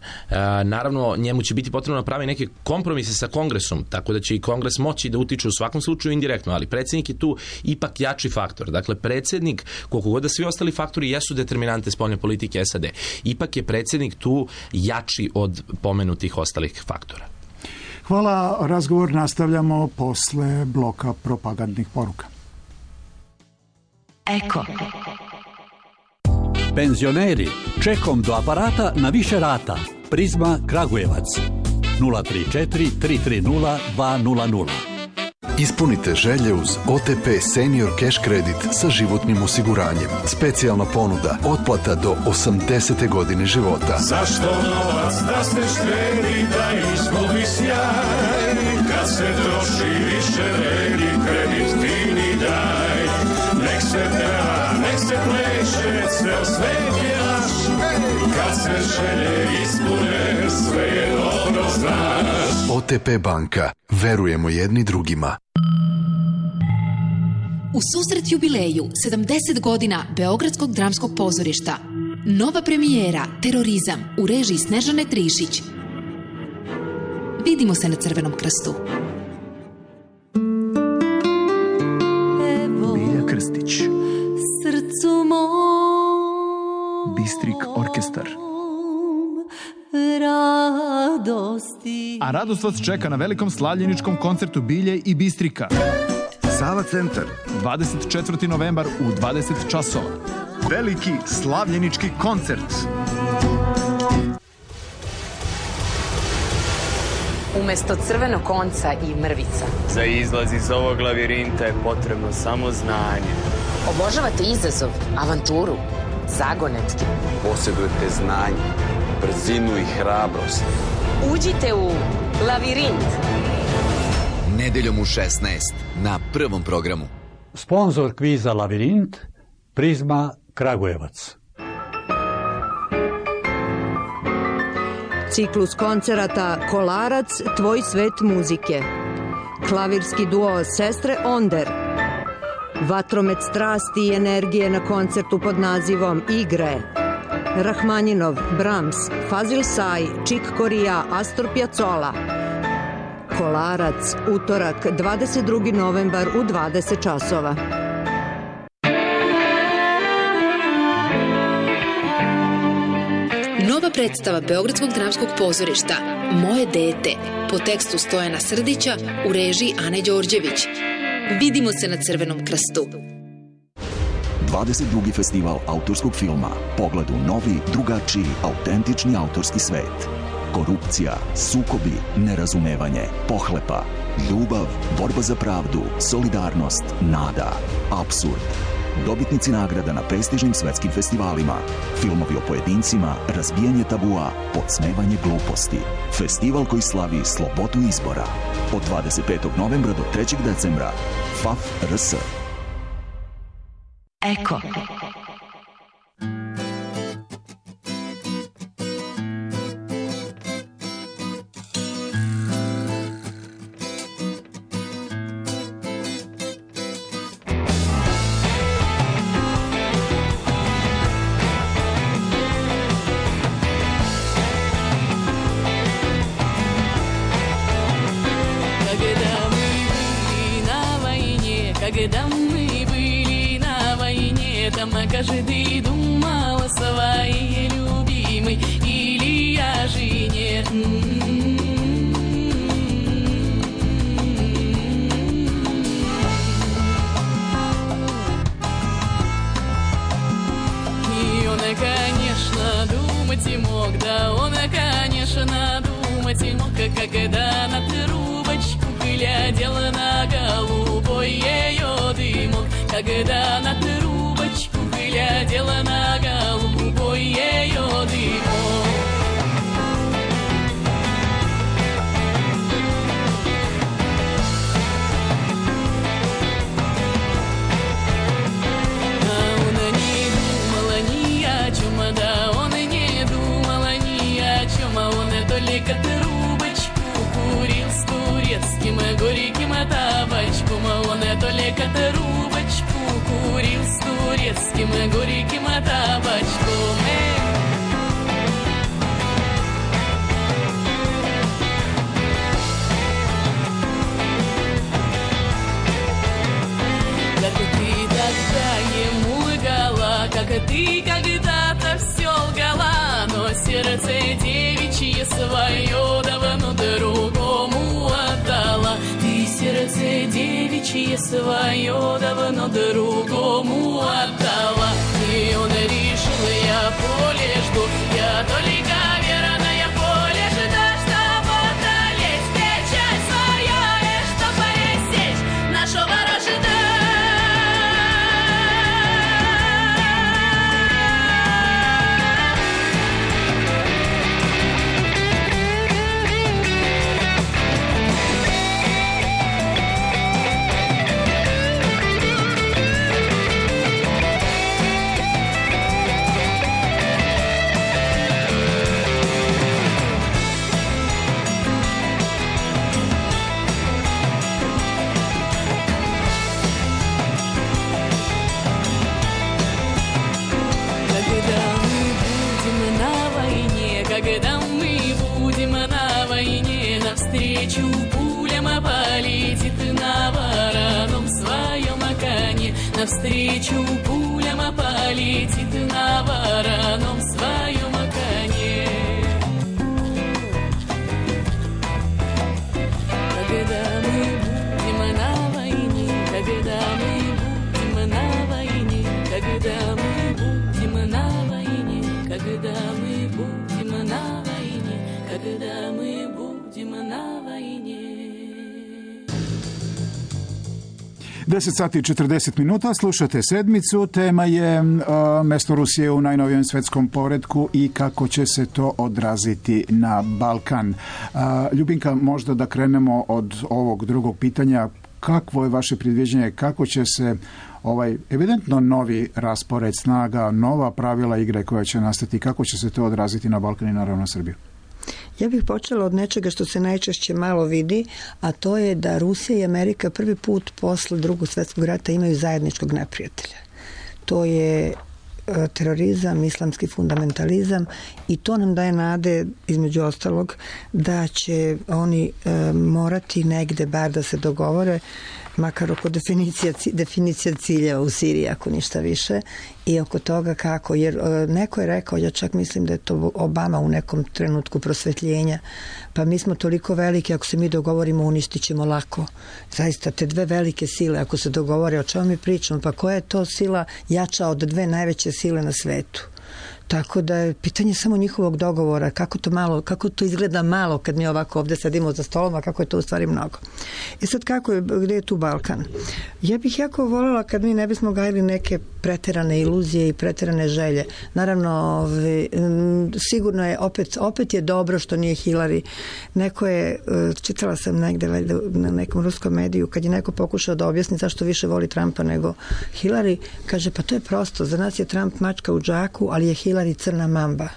Naravno, njemu će biti potrebno napravi neke kompromise sa Kongresom, tako da će i Kongres moći da utiče u svakom slučaju indirektno, ali predsjednik je tu ipak jači faktor. Dakle, predsjednik, koliko god da svi ostali faktori jesu determinante spoljne politike S A D, ipak je predsjednik tu jači od pomenutih ostalih faktora. Hvala, razgovor nastavljamo posle bloka propagandnih poruka. Eko. Penzioneri, čekom do aparata na više rata. Prizma Kragujevac. nula tri četiri tri tri nula dva nula nula. Ispunite želje uz O T P Senior Cash Kredit sa životnim osiguranjem. Specijalna ponuda, otplata do osamdesete godine života. Zašto novac da se štedi, da izgubi sjaj? Kad se troši više vredi, kredit fini daj. Nek se peva, nek se pleše, ceo svet je naš. Kad se želje ispune, sve je dobro znaš. O T P banka. Verujemo jedni drugima. U susret jubileju sedamdeset godina Beogradskog dramskog pozorišta. Nova premijera Terorizam u režiji Snežane Trišić. Vidimo se na Crvenom krstu. Bilja Krstić. Srcu mom. Bistrik orkestar. Radosti. A radost vas čeka na velikom slavljeničkom koncertu Bilje i Bistrika. Sava centar. dvadeset četvrti novembar u dvadeset časova. Veliki slavljenički koncert. Umesto crvenog konca i mrvica. Za izlaz iz ovog lavirinta je potrebno samo znanje. Obožavate izazov, avanturu, zagonetke. Posjedujete znanje, brzinu i hrabrost. Uđite u lavirint. Nedeljom u šesnaest na Prvom programu. Sponzor kviza Lavirint, Prizma Kragujevac. Ciklus koncerata Kolarac, tvoj svet muzike. Klavirski duo Sestre Onder. Vatromet strasti i energije na koncertu pod nazivom Igre. Rahmanjinov, Brahms, Fazil Say, Čik Korija, Astor Piazzolla. Kolarac, utorak, dvadeset drugi novembar u dvadeset časova. Nova predstava Beogradskog dramskog pozorišta Moje dete po tekstu Stojana Srdića u režiji Ane Đorđević. Vidimo se na Crvenom krstu. dvadeset drugi festival autorskog filma. Pogled u novi, drugačiji, autentični autorski svet. Korupcija, sukobi, nerazumevanje, pohlepa, ljubav, borba za pravdu, solidarnost, nada, apsurd. Dobitnici nagrada na prestižnim svetskim festivalima. Filmovi o pojedincima, razbijanje tabua, podsmevanje gluposti. Festival koji slavi slobodu izbora. Od dvadeset petog novembra do trećeg decembra. F A F R S. Eko. Когда мы были на войне, там каждый думал о своей любимой, или о жене. И он, конечно, думать и мог, да он, конечно, думать и мог, когда на трубочку глядел на голубой ее дымок, когда на трубочку глядел на голубой ее дымок. А он не думал ни о чем, да он не думал ни о чем, а он только трубочку курил с турецким горьким табачком, а он только трубочку закурил с турецким горьким табачком. Как ты тогда ему лгала, как ты когда-то все лгала, но сердце девичье свое давно другому отдала. Ты сердце девичье свое давно другому отдала. И он решил, я поле жду, я только верная поле жда, чтобы одолеть печаль свою, и чтобы пресечь нашего вражда. Когда мы будем на войне, навстречу пулям полетит на вороном своем коне. Навстречу пулям полетит на вороном своем коне. Когда мы будем на войне, когда мы будем на войне, когда мы будем на войне, когда мы будем на войне, когда мы будем на войне. deset sati i četrdeset minuta, slušate sedmicu, tema je uh, mesto Rusije u najnovijem svetskom poretku i kako će se to odraziti na Balkan. Uh, Ljubinka, možda da krenemo od ovog drugog pitanja. Kakvo je vaše predviđenje, kako će se ovaj evidentno novi raspored snaga, nova pravila igre koja će nastati, kako će se to odraziti na Balkan i naravno Srbiju? Ja bih počela od nečega što se najčešće malo vidi, a to je da Rusija i Amerika prvi put posle drugog svjetskog rata imaju zajedničkog neprijatelja. To je terorizam, islamski fundamentalizam i to nam daje nade, između ostalog, da će oni e, morati negde bar da se dogovore, makar oko definicija, definicija ciljeva u Siriji, ako ništa više, i oko toga kako, jer e, neko je rekao, ja čak mislim da je to Obama u nekom trenutku prosvetljenja, pa mi smo toliko veliki, ako se mi dogovorimo, uništit ćemo lako. Zaista, te dve velike sile, ako se dogovore, o čemu mi pričamo, pa koja je to sila jača od dve najveće sile na svetu? Tako da je pitanje samo njihovog dogovora, kako to malo, kako to izgleda malo kad mi ovako ovde sedimo za stolom, a kako je to u stvari mnogo. I sad kako je, gde je tu Balkan? Ja bih jako voljela kad mi ne bismo gajili neke preterane iluzije i preterane želje. Naravno, ove, sigurno je, opet, opet je dobro što nije Hillary. Neko je, čitala sam negde na nekom ruskom mediju, kad je neko pokušao da objasni zašto više voli Trumpa nego Hillary, kaže, pa to je prosto, za nas je Trump mačka u džaku, ali je Hillary crna mamba.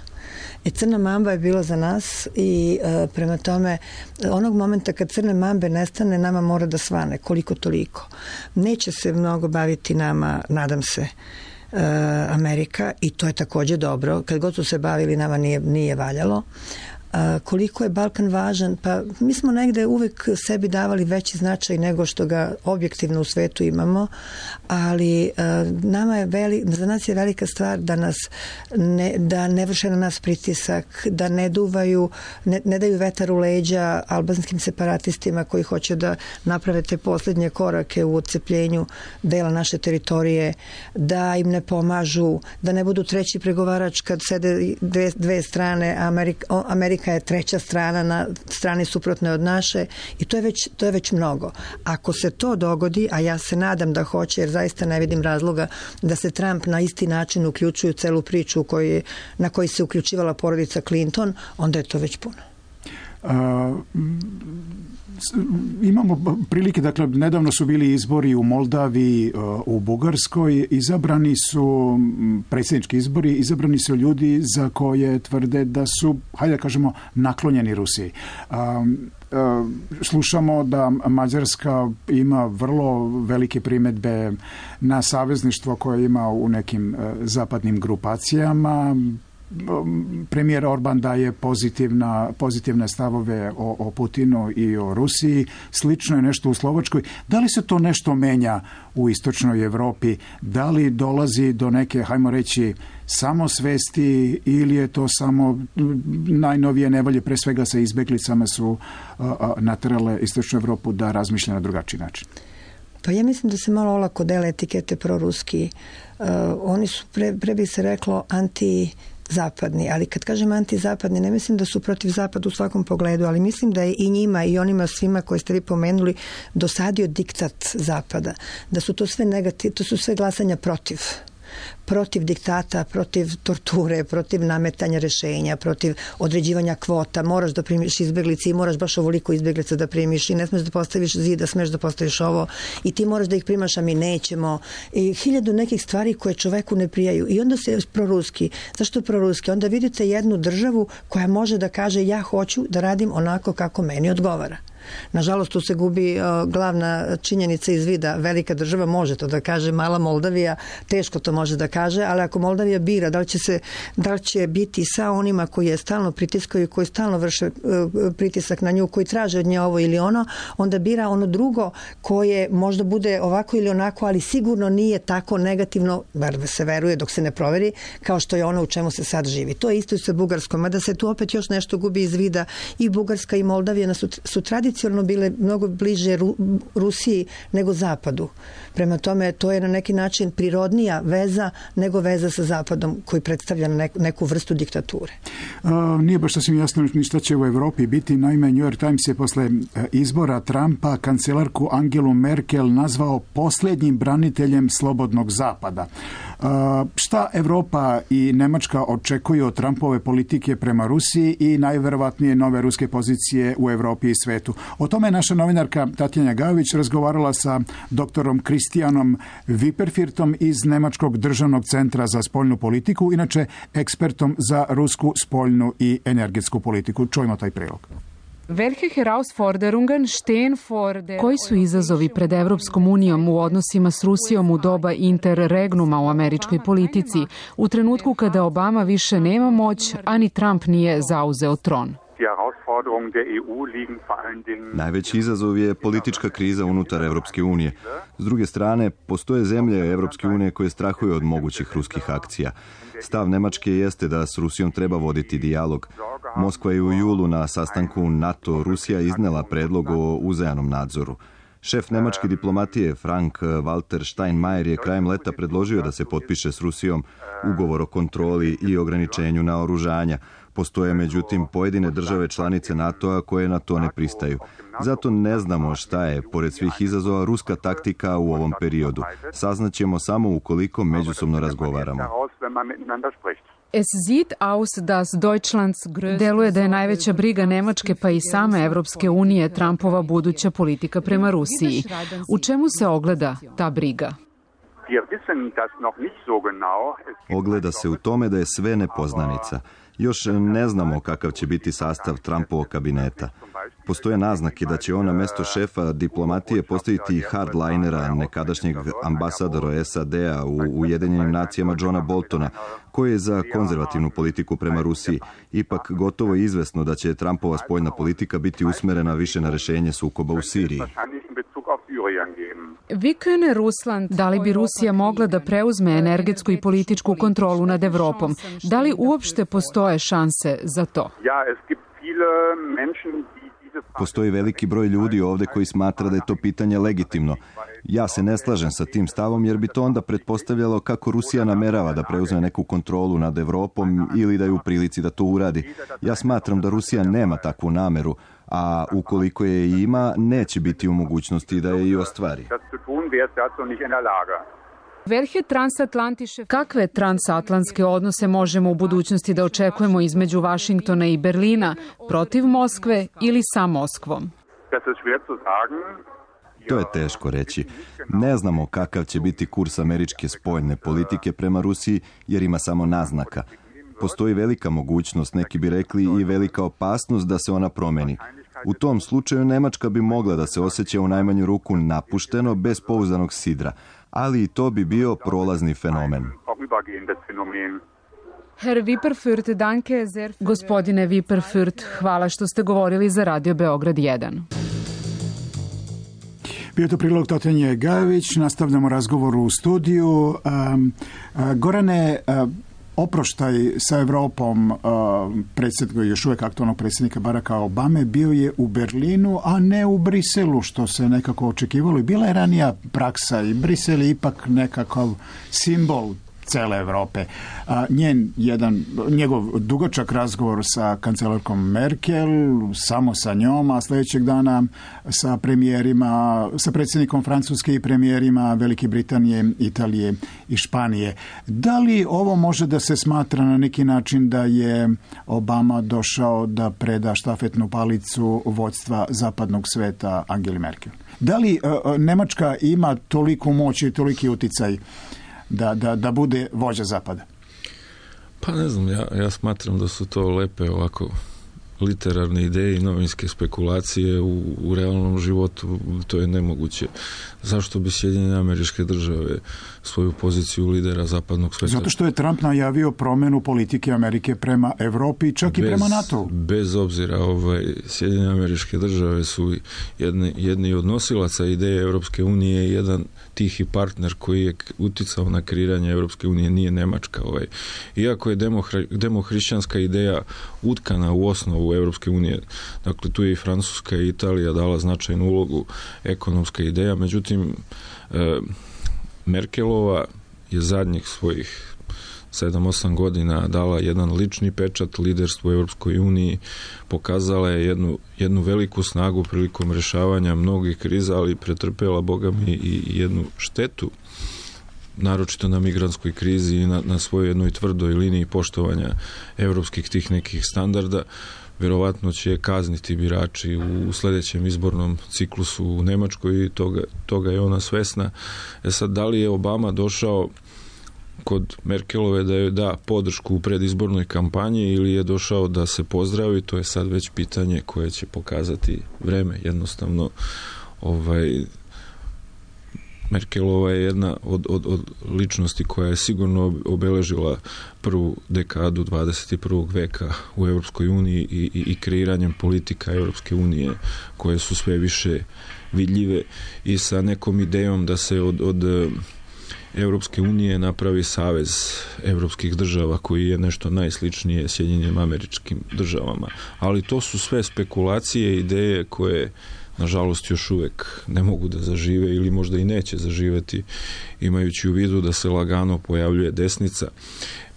E, crna mamba je bila za nas i e, prema tome onog momenta kad crne mambe nestane, nama mora da svane, koliko toliko. Neće se mnogo baviti nama, nadam se, e, Amerika, i to je takođe dobro. Kad god su se bavili, nama nije, nije valjalo. A, koliko je Balkan važan? Pa mi smo negde uvek sebi davali veći značaj nego što ga objektivno u svetu imamo, ali a, nama je veli, za nas je velika stvar da nas ne, da ne vrše na nas pritisak, da ne duvaju, ne, ne daju vetar u leđa albanskim separatistima koji hoće da naprave te posljednje korake u odcepljenju dela naše teritorije, da im ne pomažu, da ne budu treći pregovarač kad sede dve, dve strane, Amerika, Amerika je treća strana na strani suprotne od naše, i to je već, to je već mnogo. Ako se to dogodi, a ja se nadam da hoće, jer zaista ne vidim razloga da se Trump na isti način uključuje u celu priču koji, na koji se uključivala porodica Clinton, onda je to već puno. Imamo prilike, dakle, nedavno su bili izbori u Moldaviji, u Bugarskoj, izabrani su predsjednički izbori, izabrani su ljudi za koje tvrde da su, hajde da kažemo, naklonjeni Rusiji. Slušamo da Mađarska ima vrlo velike primedbe na savezništvo koje ima u nekim zapadnim grupacijama. Premijer Orban daje pozitivna, pozitivne stavove o, o Putinu i o Rusiji. Slično je nešto u Slovačkoj. Da li se to nešto menja u istočnoj Evropi? Da li dolazi do neke, hajmo reći, samosvesti ili je to samo najnovije nevolje, pre svega sa izbeglicama su a, a, naterale istočnu Evropu da razmišlja na drugačiji način? Pa ja mislim da se malo olako dele etikete proruski. Uh, oni su, pre, pre bi se reklo, anti zapadni, ali kad kažem antizapadni, ne mislim da su protiv zapada u svakom pogledu, ali mislim da je i njima i onima svima koje ste vi pomenuli dosadio diktat zapada, da su to sve negativ, to su sve glasanja protiv. Protiv diktata, protiv torture, protiv nametanja rešenja, protiv određivanja kvota. Moraš da primiš izbeglice i moraš baš ovoliko izbeglica da primiš i ne smeš da postaviš zid, da smeš da postaviš ovo i ti moraš da ih primaš, a mi nećemo. I hiljadu nekih stvari koje čoveku ne prijaju. I onda se proruski. Zašto proruski? Onda vidite jednu državu koja može da kaže ja hoću da radim onako kako meni odgovara. Nažalost, tu se gubi uh, glavna činjenica iz vida. Velika država može to da kaže, mala Moldavija teško to može da kaže, ali ako Moldavija bira da li će, se, da li će biti sa onima koji je stalno pritiskaju, koji stalno vrše uh, pritisak na nju, koji traže od nje ovo ili ono, onda bira ono drugo koje možda bude ovako ili onako, ali sigurno nije tako negativno, bar se veruje dok se ne proveri, kao što je ono u čemu se sad živi. To je isto i sa Bugarskom, mada se tu opet još nešto gubi iz vida. I Bugarska i Moldavija su, su tradicionalno bile mnogo bliže Ru, Rusiji nego Zapadu. Prema tome, to je na neki način prirodnija veza nego veza sa Zapadom koji predstavlja neku, neku vrstu diktature. A, nije baš sasvim jasno ni šta će u Evropi biti. Naime, New York Times je posle izbora Trumpa kancelarku Angelu Merkel nazvao posljednjim braniteljem slobodnog Zapada. A, šta Evropa i Nemačka očekuju od Trumpove politike prema Rusiji i najverovatnije nove ruske pozicije u Evropi i svetu? O tome je naša novinarka Tatjana Gajović razgovarala sa doktorom Kristijanom Viperfirtom iz Nemačkog državnog centra za spoljnu politiku, inače ekspertom za rusku spoljnu i energetsku politiku. Čujmo taj prilog. Koji su izazovi pred Evropskom unijom u odnosima s Rusijom u doba interregnuma u američkoj politici, u trenutku kada Obama više nema moć, a ni Trump nije zauzeo tron? Najveći izazov je politička kriza unutar Evropske unije. S druge strane, postoje zemlje Evropske unije koje strahuju od mogućih ruskih akcija. Stav Nemačke jeste da s Rusijom treba voditi dijalog. Moskva je u julu na sastanku NATO-Rusija iznela predlog o uzajamnom nadzoru. Šef nemačke diplomatije Frank Walter Steinmeier je krajem leta predložio da se potpiše s Rusijom ugovor o kontroli i ograničenju naoružanja. Postoje međutim pojedine države članice NATO-a koje na to ne pristaju. Zato ne znamo šta je, pored svih izazova, ruska taktika u ovom periodu. Saznaćemo samo ukoliko međusobno razgovaramo. Deluje da je najveća briga Nemačke pa i same Evropske unije Trumpova buduća politika prema Rusiji. U čemu se ogleda ta briga? Ogleda se u tome da je sve nepoznanica. Još ne znamo kakav će biti sastav Trumpovog kabineta. Postoje naznake da će on na mesto šefa diplomatije postaviti hardlinera, nekadašnjeg ambasadora S A D-a u Ujedinjenim nacijama Johna Boltona, koji je za konzervativnu politiku prema Rusiji. Ipak gotovo je izvesno da će Trumpova spoljna politika biti usmerena više na rešenje sukoba u Siriji. Da li bi Rusija mogla da preuzme energetsku i političku kontrolu nad Evropom? Da li uopšte postoje šanse za to? Postoji veliki broj ljudi ovde koji smatra da je to pitanje legitimno. Ja se ne slažem sa tim stavom jer bi to onda pretpostavljalo kako Rusija namerava da preuzme neku kontrolu nad Evropom ili da je u prilici da to uradi. Ja smatram da Rusija nema takvu nameru, a ukoliko je i ima, neće biti u mogućnosti da je i ostvari. Kakve transatlantske odnose možemo u budućnosti da očekujemo između Vašingtona i Berlina, protiv Moskve ili sa Moskvom? To je teško reći. Ne znamo kakav će biti kurs američke spoljne politike prema Rusiji, jer ima samo naznaka. Postoji velika mogućnost, neki bi rekli i velika opasnost da se ona promeni. U tom slučaju Nemačka bi mogla da se osjeća u najmanju ruku napušteno, bez pouzdanog sidra, ali i to bi bio prolazni fenomen. Herr Wipperfürth, danke sehr. Gospodine Wipperfürth, hvala što ste govorili za Radio Beograd jedan. Bio to prilog Totenje Gajević, nastavljamo razgovor u studiju. Um, uh, Gorane, uh, oproštaj sa Evropom uh, predsjednika, još uvijek aktualnog predsjednika Baracka Obame bio je u Berlinu, a ne u Briselu, što se nekako očekivalo. I bila je ranija praksa i Brisel je ipak nekakav simbol cele Evrope. A, njen jedan, njegov dugačak razgovor sa kancelarkom Merkel, samo sa njom, a sljedećeg dana sa premijerima, sa predsjednikom Francuske i premijerima Velike Britanije, Italije i Španije. Da li ovo može da se smatra na neki način da je Obama došao da preda štafetnu palicu vođstva zapadnog sveta Angeli Merkel? Da li uh, Nemačka ima toliku moć i toliki uticaj Da, da, da bude vođa zapada? Pa ne znam, ja, ja smatram da su to lepe ovako literarne ideje i novinske spekulacije. U, u realnom životu to je nemoguće. Zašto bi Sjedinjene Američke Države svoju poziciju lidera zapadnog sveta? Zato što je Trump najavio promjenu politike Amerike prema Evropi, čak bez, i prema NATO. Bez obzira, ovaj, Sjedinjene Američke Države su jedni, jedni od nosilaca ideje Europske unije i jedan tihi partner koji je uticao na kreiranje Europske unije nije Nemačka. Ovaj. Iako je demohri, demohrišćanska ideja utkana u osnovu Europske unije, dakle tu je i Francuska i Italija dala značajnu ulogu, ekonomska ideja, međutim e, Merkelova je zadnjih svojih sedam osam godina dala jedan lični pečat liderstvu u Europskoj uniji, pokazala je jednu, jednu veliku snagu prilikom rješavanja mnogih kriza, ali pretrpela, Boga mi, i jednu štetu, naročito na migrantskoj krizi i na, na svojoj jednoj tvrdoj liniji poštovanja europskih tih nekih standarda. Vjerovatno će kazniti birači u sljedećem izbornom ciklusu u Nemačkoj i toga, toga je ona svesna. E sad, da li je Obama došao kod Merkelove da joj da podršku u predizbornoj kampanji ili je došao da se pozdravi, to je sad već pitanje koje će pokazati vreme. Jednostavno, ovaj, Merkelova je jedna od, od, od ličnosti koja je sigurno obeležila prvu dekadu dvadeset i prvog veka u Europskoj uniji i, i, i kreiranjem politika Europske unije koje su sve više vidljive i sa nekom idejom da se od, od Europske unije napravi savez europskih država koji je nešto najsličnije Sjedinjenim Američkim Državama. Ali to su sve spekulacije, ideje koje nažalost još uvijek ne mogu da zažive ili možda i neće zaživeti, imajući u vidu da se lagano pojavljuje desnica.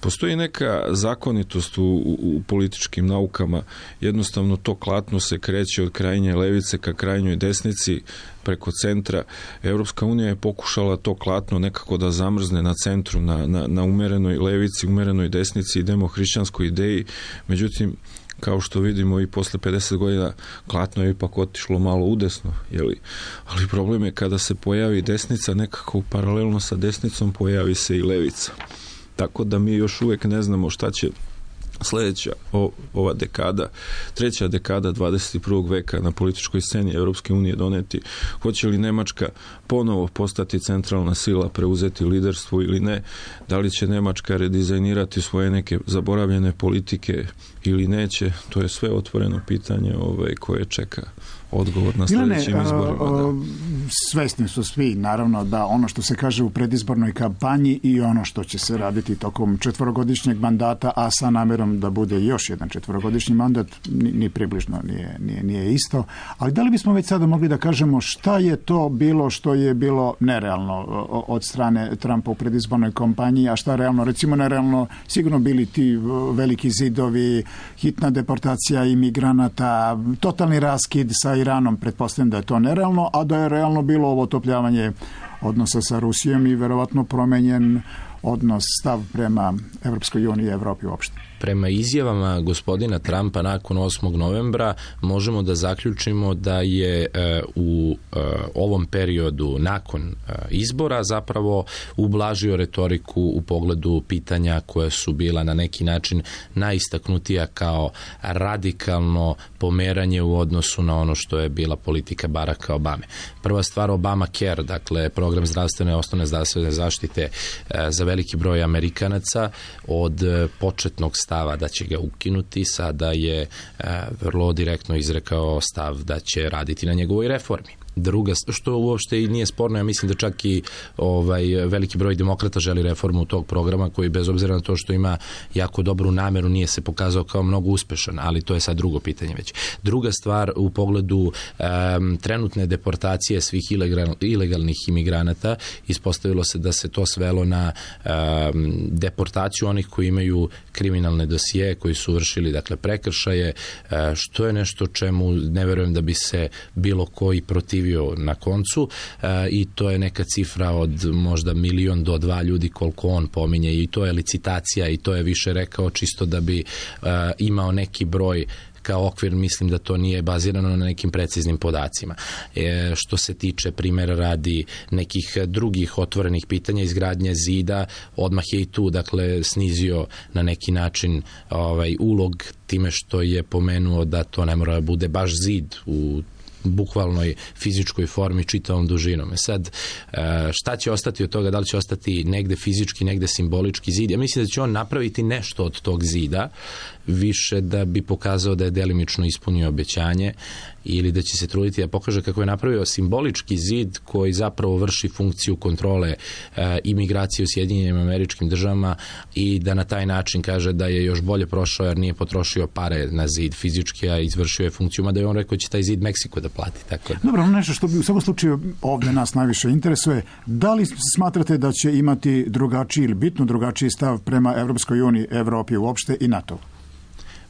Postoji neka zakonitost u, u, u političkim naukama, jednostavno to klatno se kreće od krajnje levice ka krajnjoj desnici preko centra. Europska unija je pokušala to klatno nekako da zamrzne na centru, na, na, na umerenoj levici, umerenoj desnici i demohrišćanskoj ideji, međutim, kao što vidimo i posle pedeset godina klatno je ipak otišlo malo udesno, jeli? Ali problem je kada se pojavi desnica, nekako paralelno sa desnicom pojavi se i levica. Tako da mi još uvijek ne znamo šta će sljedeća o, ova dekada, treća dekada dvadeset i prvog veka na političkoj sceni Europske unije doneti. Hoće li Nemačka ponovo postati centralna sila, preuzeti liderstvo ili ne? Da li će Nemačka redizajnirati svoje neke zaboravljene politike ili neće? To je sve otvoreno pitanje ovaj, koje čeka odgovor na sljedećim izborima. Svesni su svi, naravno, da ono što se kaže u predizbornoj kampanji i ono što će se raditi tokom četvorogodišnjeg mandata, a sa namjerom da bude još jedan četvorogodišnji mandat, ni, ni približno nije, nije, nije isto. Ali da li bismo već sada mogli da kažemo šta je to bilo što je bilo nerealno od strane Trumpa u predizbornoj kampanji, a šta realno, recimo nerealno, sigurno bili ti veliki zidovi, hitna deportacija imigranata, totalni raskid sa Iranom, pretpostavljam da je to nerealno, a da je realno bilo ovo otopljavanje odnosa sa Rusijom i verovatno promenjen odnos, stav prema Evropskoj uniji i Evropi uopšte. Prema izjavama gospodina Trumpa nakon osmog novembra možemo da zaključimo da je e, u e, ovom periodu nakon e, izbora zapravo ublažio retoriku u pogledu pitanja koja su bila na neki način najistaknutija kao radikalno pomeranje u odnosu na ono što je bila politika Baracka Obame. Prva stvar, Obamacare, dakle program zdravstvene, osnovne zdravstvene zaštite e, za veliki broj Amerikanaca od e, početnog stava da će ga ukinuti, sada je e, vrlo direktno izrekao stav da će raditi na njegovoj reformi. Druga, što uopšte i nije sporno, ja mislim da čak i ovaj veliki broj demokrata želi reformu tog programa koji bez obzira na to što ima jako dobru nameru nije se pokazao kao mnogo uspešan, ali to je sad drugo pitanje već. Druga stvar u pogledu um, trenutne deportacije svih ilegal, ilegalnih imigranata, ispostavilo se da se to svelo na um, deportaciju onih koji imaju kriminalne dosije, koji su vršili dakle prekršaje, uh, što je nešto čemu ne verujem da bi se bilo koji protivio na koncu e, i to je neka cifra od možda milion do dva ljudi koliko on pominje i to je licitacija i to je više rekao čisto da bi e, imao neki broj kao okvir, mislim da to nije bazirano na nekim preciznim podacima. E, što se tiče primjera radi nekih drugih otvorenih pitanja, izgradnje zida, odmah je i tu dakle snizio na neki način ovaj, ulog time što je pomenuo da to ne mora da bude baš zid u bukvalnoj fizičkoj formi čitavom dužinom. Sad, šta će ostati od toga, da li će ostati negde fizički, negde simbolički zid? Ja mislim da će on napraviti nešto od tog zida, više da bi pokazao da je delimično ispunio obećanje ili da će se truditi da pokaže kako je napravio simbolički zid koji zapravo vrši funkciju kontrole e, imigracije u Sjedinjenim Američkim Državama i da na taj način kaže da je još bolje prošao jer nije potrošio pare na zid fizički, a izvršio je funkciju, mada je on rekao će taj zid Meksiko da plati. Tako da. Dobro, nešto što bi u svakom slučaju ovde nas najviše interesuje, da li smatrate da će imati drugačiji ili bitno drugačiji stav prema Evropskoj uniji, Evropi uopšte i NATO?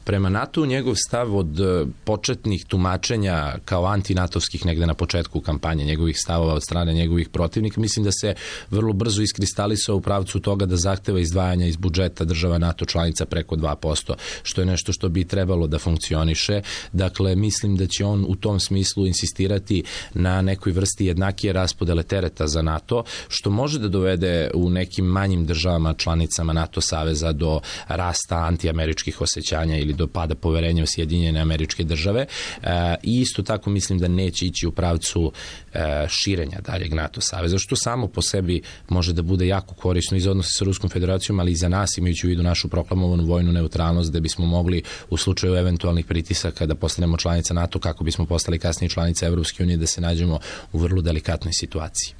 Prema NATO njegov stav od početnih tumačenja kao antinatovskih negde na početku kampanje, njegovih stavova od strane njegovih protivnika, mislim da se vrlo brzo iskristalisao u pravcu toga da zahteva izdvajanja iz budžeta država NATO članica preko dva posto, što je nešto što bi trebalo da funkcioniše. Dakle, mislim da će on u tom smislu insistirati na nekoj vrsti jednakije raspodele tereta za NATO, što može da dovede u nekim manjim državama članicama NATO saveza do rasta antiameričkih osjećanja ili do pada poverenja u Sjedinjene Američke Države e, i isto tako mislim da neće ići u pravcu e, širenja daljeg NATO saveza, što samo po sebi može da bude jako korisno i za odnose sa Ruskom federacijom, ali i za nas, imajući u vidu našu proklamovanu vojnu neutralnost, da bismo mogli u slučaju eventualnih pritisaka da postanemo članica NATO, kako bismo postali kasnije članica Evropske unije, da se nađemo u vrlo delikatnoj situaciji.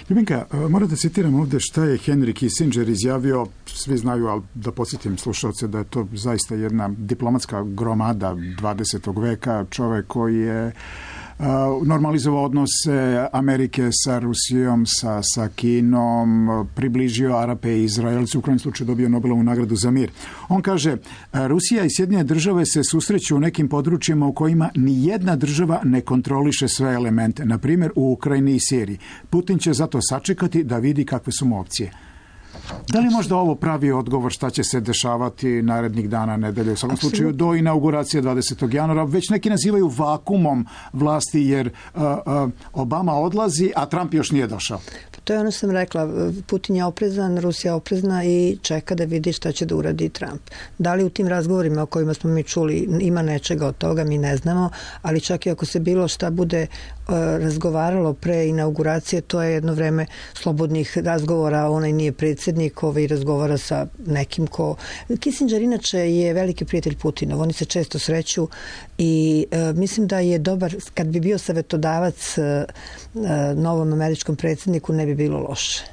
Ljubinka, moram da citiram ovde šta je Henry Kissinger izjavio, svi znaju, ali da podsjetim slušalce da je to zaista jedna diplomatska gromada dvadesetog veka, čovek koji je normalizovao odnose Amerike sa Rusijom, sa, sa Kinom, približio Arape i Izraelci, u krajnjem slučaju dobio Nobelovu nagradu za mir. On kaže, Rusija i Sjedinjene države se susreću u nekim područjima u kojima ni jedna država ne kontroliše sve elemente, na primjer u Ukrajini i Siriji. Putin će zato sačekati da vidi kakve su mu opcije. Da li možda ovo pravi odgovor šta će se dešavati narednih dana, nedelje, u svakom slučaju do inauguracije dvadesetog januara? Već neki nazivaju vakumom vlasti jer uh, uh, Obama odlazi, a Trump još nije došao. To je ono što sam rekla, Putin je oprezan, Rusija oprezna i čeka da vidi šta će da uradi Trump. Da li u tim razgovorima o kojima smo mi čuli ima nečega od toga, mi ne znamo, ali čak i ako se bilo šta bude uh, razgovaralo pre inauguracije, to je jedno vreme slobodnih razgovora, onaj nije predsjednik, ovaj razgovara sa nekim ko... Kissinger inače je veliki prijatelj Putinov, oni se često sreću i uh, mislim da je dobar, kad bi bio savetodavac uh, uh, novom američkom predsjedniku, ne bi bilo loše.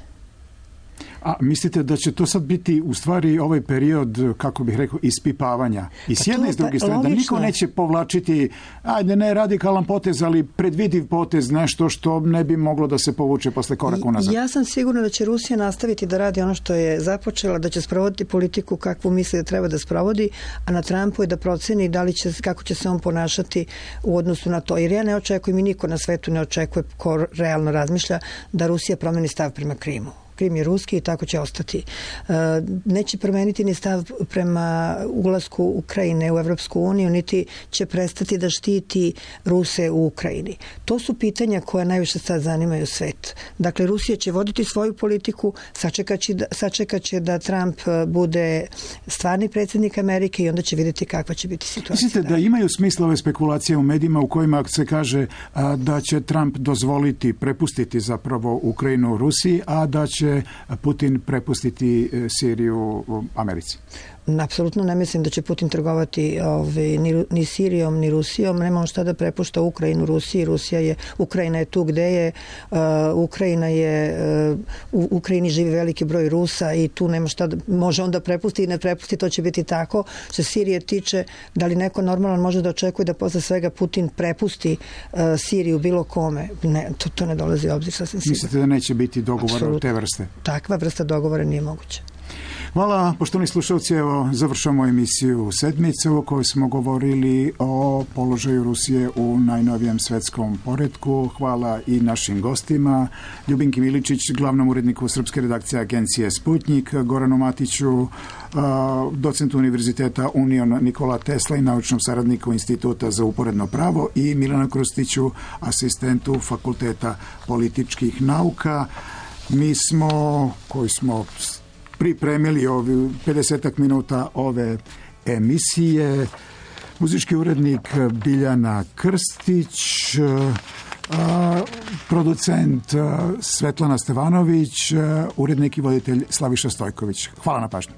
A mislite da će to sad biti u stvari ovaj period, kako bih rekao, ispipavanja? I s jedne i s druge strane, da niko neće povlačiti, ajde ne radikalan potez, ali predvidiv potez, nešto što ne bi moglo da se povuče posle koraka unazad. Ja sam sigurna da će Rusija nastaviti da radi ono što je započela, da će sprovoditi politiku kakvu misli da treba da sprovodi, a na Trumpu je da proceni da li će, kako će se on ponašati u odnosu na to. Jer ja ne očekujem i niko na svetu ne očekuje ko realno razmišlja da Rusija promeni stav prema Krimu. Krim je ruski i tako će ostati. Neće promeniti ni stav prema ulasku Ukrajine u Evropsku uniju, niti će prestati da štiti Ruse u Ukrajini. To su pitanja koja najviše sad zanimaju svet. Dakle, Rusija će voditi svoju politiku, sačekaće da, sačekaće da Trump bude stvarni predsjednik Amerike i onda će vidjeti kakva će biti situacija. Mislite da imaju smisla ove spekulacije u medijima u kojima se kaže a, da će Trump dozvoliti, prepustiti zapravo Ukrajinu Rusiji, a da će Putin prepustiti Siriju Americi? Apsolutno ne mislim da će Putin trgovati ovaj, ni, ni Sirijom, ni Rusijom. Nema on šta da prepušta Ukrajinu Rusiji. Rusija je, Ukrajina je tu gde je. Uh, Ukrajina je, uh, u Ukrajini živi veliki broj Rusa i tu nema šta da, može onda prepusti i ne prepusti, to će biti tako. Što Sirije tiče, da li neko normalan može da očekuje da posle svega Putin prepusti uh, Siriju bilo kome? Ne, to, to ne dolazi u obzir sasvim sigurno. Mislite da neće biti dogovora od te vrste? Takva vrsta dogovora nije moguća. Hvala, poštovani slušalci, evo završamo emisiju Sedmice u kojoj smo govorili o položaju Rusije u najnovijem svetskom poretku. Hvala i našim gostima, Ljubinki Miličić, glavnom uredniku srpske redakcije agencije Sputnjik, Goranu Matiću, docentu Univerziteta Union Nikola Tesla i naučnom saradniku Instituta za uporedno pravo, i Milana Krustiću, asistentu Fakulteta političkih nauka. Mi smo, koji smo pripremili ovi pedesetak minuta ove emisije, muzički urednik Biljana Krstić, a, producent Svetlana Stevanović, urednik i voditelj Slaviša Stojković. Hvala na pažnju.